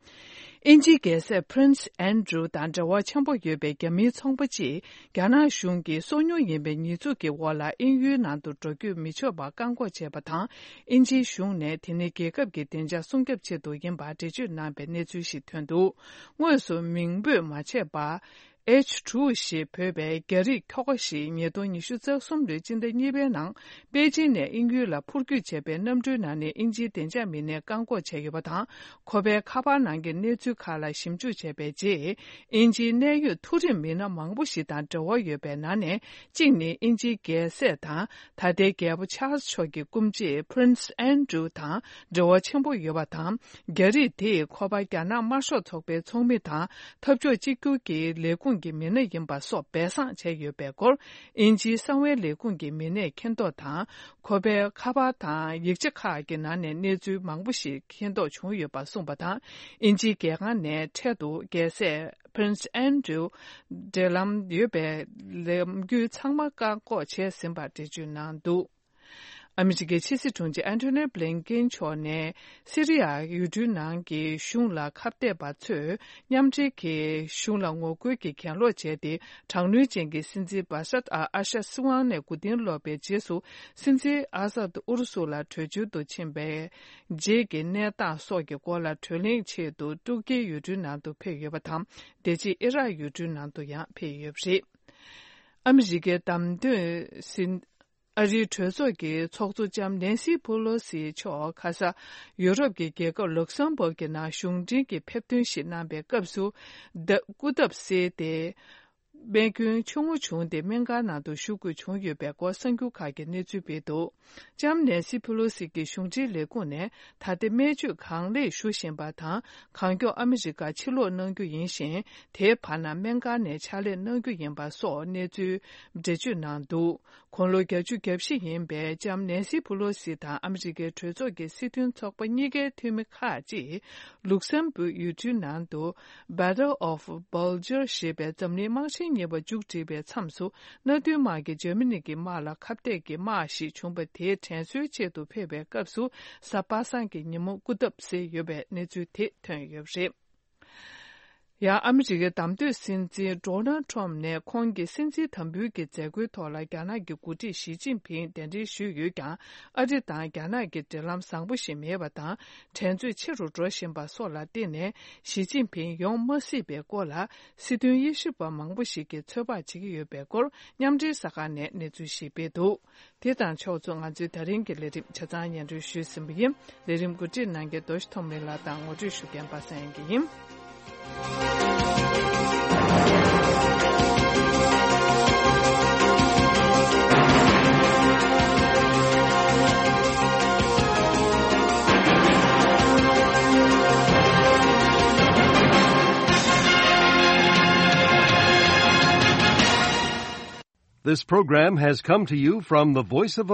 དབྱིན་ཇིའི་རྒྱལ་སྲས་Prince Andrew དང་འབྲེལ་བ་ཆེན་པོ་ཡོད་པའི་རྒྱ་མིའི་ཚོང་པ་གཅིག་རྒྱ་ནག་གཞུང་གིས་སོ་ཉུལ་ཡིན་པའི་ཉེས་འཛུགས་ཀྱི་འོག་ལ་དབྱིན་ཡུལ་ནང་དུ་འགྲོ་སྐྱོད་མི་ཆོག་པར་བཀག་འགོག་བྱས་པ་དང་། དབྱིན་ཇིའི་གཞུང་ནས་དེ་ནི་རྒྱལ་ཁབ་ཀྱི་བདེ་འཇགས་སྲུང་སྐྱོབ་ཆེད་དུ་ཡིན་པར་འགྲེལ་བརྗོད་གནང་བའི་གནས་ཚུལ་ཞིག་ཐོན་འདུག་དངོས་སུ་མིང་འབོད་མ་བྱས་པར། H two ཞེས་འབོད་པའི་རྒྱ་རིགས་ཁྱོ་ག་ཞིག་ཉིས་སྟོང་ཉི་ཤུ་རྩ་གསུམ་ལོའི་སྤྱི་ཟླ་གཉིས་པའི་ནང་པེ་ཅིན་ནས་དབྱིན་ཡུལ་ལ་འཕུར་སྐྱོད་བྱས་པའི་གནམ་གྲུའི་ནང་ནས་དབྱིན་ཇིའི་བདེ་འཇགས་མི་སྣས་བཀག་འགོག་བྱས་ཡོད་པ་དང་། ཁོ་པའི་ཁ་པར་ནང་གི་གནས་ཚུལ་ཁག་ལ་ཞིབ་འཇུག་བྱས་པའི་རྗེས། དབྱིན་ཇིའི་གནད་ཡོད་མཐོ་རིམ་མི་སྣ་མང་པོ་ཞིག་དང་འབྲེལ་བ་ཡོད་པའི་ནང་ནས་གཅིག་ནི་དབྱིན་ཇིའི་རྒྱལ་སྲས་དང་ད་ལྟའི་རྒྱལ་པོ་Charles མཆོག་གི་སྐུ་མཆེད་Prince Andrew དང་འབྲེལ་བ་ཆེན་པོ་ཡོད་པ་དང་། རྒྱ་རིགས་དེས་ཁོ་པ་རྒྱ་ནག་དམར་ཤོག་ཚོགས་པའི་ཚོགས་མི་དང་འཐབ་ཕྱོགས་གཅིག་གྱུར་གྱི་ལས་ཁུངས་ཀྱི་མི་སྣ་ཡིན་པ་སོགས་སྦས་གསང་བྱས་ཡོད་པའི་སྐོར། དབྱིན་ཇིའི་གསང་བའི་ལས་ཁུངས་ཀྱི་མི་སྣས་མཁྱེན་རྟོགས་དང་། ཁོ་པའི་ཁ་པར་དང་ཡིག་ཆ་ཁག་གི་ནང་ནས་གནས་ཚུལ་མང་པོ་ཞིག་མཁྱེན་རྟོགས་བྱུང་ཡོད་པ་གསུངས་པ་དང་། དབྱིན་ཇིའི་རྒྱལ་ཁང་ནས་འཕྲལ་དུ་རྒྱལ་སྲས་Prince Andrew འབྲེལ་ལམ་ཡོད་པའི་ལམ་རྒྱུད་ཚང་མ་བཀག་འགོག་བྱས་ཟིན་པར་འགྲེལ་བརྗོད་གནང་འདུག་ཨ་མི་རི་ཀའི་ཕྱི་སྲིད་དྲུང་ཆེ་ཨན་ཐོ་ནི་བྷི་ལིན་ཀེན་མཆོག་ནས་སི་རི་ཡ་ཡུལ་གྲུའི་ནང་གི་གཞུང་ལ་ཁ་གཏད་པ་ཚོས་མཉམ་འབྲེལ་གྱིས་གཞུང་ལ་ངོ་རྒོལ་གྱི་གྱེན་ལོག་བྱས་ཏེ། དྲག་གནོན་ཅན་གྱི་སྲིད་འཛིན་བྷ་ཤར་ཨལ་ཨ་ཤད་སྲིད་དབང་ནས་མགོ་རྟིང་སློག་པའི་རྗེས་སུ། སྲིད་འཛིན་ཨ་སད་ཨུ་རུ་སུ་ལ་བྲོས་བྱོལ་དུ་ཕྱིན་པའི་རྗེས་ཀྱི་གནས་སྟངས་སོགས་ཀྱི་སྐོར་ལ་གྲོས་གླེང་ཆེད་དུ་ཏུར་ཀིའི་ཡུལ་གྲུའི་ནང་དུ་ཕེབས་ཡོད་པ་དང་། དེ་རྗེས་ཨི་རག་ཡུལ་གྲུའི་ནང་དུ་ཡང་ཕེབས་ཡོད་པ་རེད། ཨ་མི་རི་ཀའི་བདམས་ཐོན་སྲིད། ཨ་རིའི་གྲོས་ཚོགས་ཀྱི་ཚོགས་གཙོ་ལྕམ་ནན་སི་ཕུ་ལོ་སི་མཆོག་ཁ་ས་ཡུ་རོབ་ཀྱི་རྒྱལ་ཁབ་ལུག་སམ་བྷོག་གི་ནང་གཞུང་འབྲེལ་གྱི་ཕེབས་ཐོན་ཞིག་གནང་པའི་སྐབས་སུ། ད་སྐུ་ཐབས་བསིལ་ཏེ། རྨས་སྐྱོན་ཆུང་ངུ་བྱུང་སྟེ་སྨན་ཁང་ནང་དུ་བཞུགས་དགོས་བྱུང་ཡོད་པའི་སྐོར་གསར་འགྱུར་ཁག་གིས་གནས་ཚུལ་སྤེལ་འདུག་ལྕམ་ནན་སི་ཕུ་ལོ་སི་གིས་གཞུང་འབྲེལ་ལས་ཁུངས་ནས་ད་ལྟ་སྨན་བཅོས་གང་ལེགས་ཞུ་བཞིན་པ་དང་། གང་མགྱོགས་ཨ་མི་རི་ཀར་ཕྱིར་ལོག་གནང་རྒྱུ་ཡིན་ཞིང་། དེའི་བར་ན་སྨན་ཁང་ནས་ཕྱག་ལས་གནང་རྒྱུ་ཡིན་པ་སོགས་གནས་ཚུལ་འགྲེལ་བརྗོད་གནང་འདུག་དགུང་ལོ་བརྒྱད་ཅུ་གྱ་བཞི་ཡིན་པའི་ལྕམ་ནན་སི་ཕུ་ལོ་སི་དང་ཨ་མི་རི་ཀའི་གྲོས་ཚོགས་ཀྱི་སྲིད་དོན་ཚོགས་པ་གཉིས་ཀའི་འཐུས་མི་ཁག་ཅིག་ལུག་སམ་བྷོག་ཡུལ་གྲུའི་ནང་དུ། Battle of Bulge ཞེས་པའི་འཛམ་གླིང་དམག་ཆེན་གཉིས་པ་མཇུག་སྒྲིལ་བའི་མཚམས་སུ། མནའ་མཐུན་དམག་གིས་འཇར་མ་ནི་གི་དམག་ལ་ཁ་གཏད་ཀྱི་དམག་ཞིག་བྱུང་བ་དེའི་དྲན་གསོའི་ཆེད་དུ་ཕེབས་པའི་སྐབས་སུ། གཟའ་པ་སངས་ཀྱི་ཉིན་མོ་སྐུ་ཐབས་བསིལ་ཡོད་པའི་གནས་ཚུལ་དེ་ཐོན་ཡོད་པ་རེད། ཡང་ཨ་མི་རི་ཀའི་བདམས་ཐོན་སྲིད་འཛིན་ཌོ་ནལ་ཁྲོམ་ནས་ཁོང་གི་སྲིད་འཛིན་དམ་འབུལ་གྱི་མཛད་སྒོའི་ཐོག་ལ་རྒྱ་ནག་གི་འགོ་ཁྲིད་ཞི་ཅིན་ཕིང་གདན་འདྲེན་ཞུས་ཡོད་ཀྱང་། ཨ་རི་དང་རྒྱ་ནག་གི་འབྲེལ་ལམ་བཟང་པོ་ཞིག་མེད་པ་དང་། འགྲན་རྩོད་ཆེ་རུ་འགྲོ་བཞིན་པ་སོགས་ལ་བརྟེན་ནས། ཞི་ཅིན་ཕིང་ཡོང་མ་སྲིད་པའི་སྐོར་ལ། སྲིད་དོན་དབྱེ་ཞིབ་པ་མང་པོ་ཞིག་གིས་ཚོད་དཔག་བྱེད་ཀྱི་ཡོད་པའི་སྐོར། མཉམ་འབྲེལ་གསར་ཁང་ནས་གནས་ཚུལ་ཞིག་སྤེལ་འདུག་དེ་དང་ཕྱོགས་མཚུངས། ང་ཚོའི་ད་རིང་གི་ལས་རིམ་ཆ་ཚང་སྙན་སྒྲོན་ཞུས་ཟིན་པ་ཡིན། ལས་རིམ་གོ་སྒྲིག་གནང་མཁན་རྡོ་རྗེ་ཐོགས་མེད་ལགས་དང་ངོ་སྤྲོད་ཞུ་མཁན་པ་སངས་དབྱངས་སྐྱིད་ཡིན། This program has come to you from the Voice of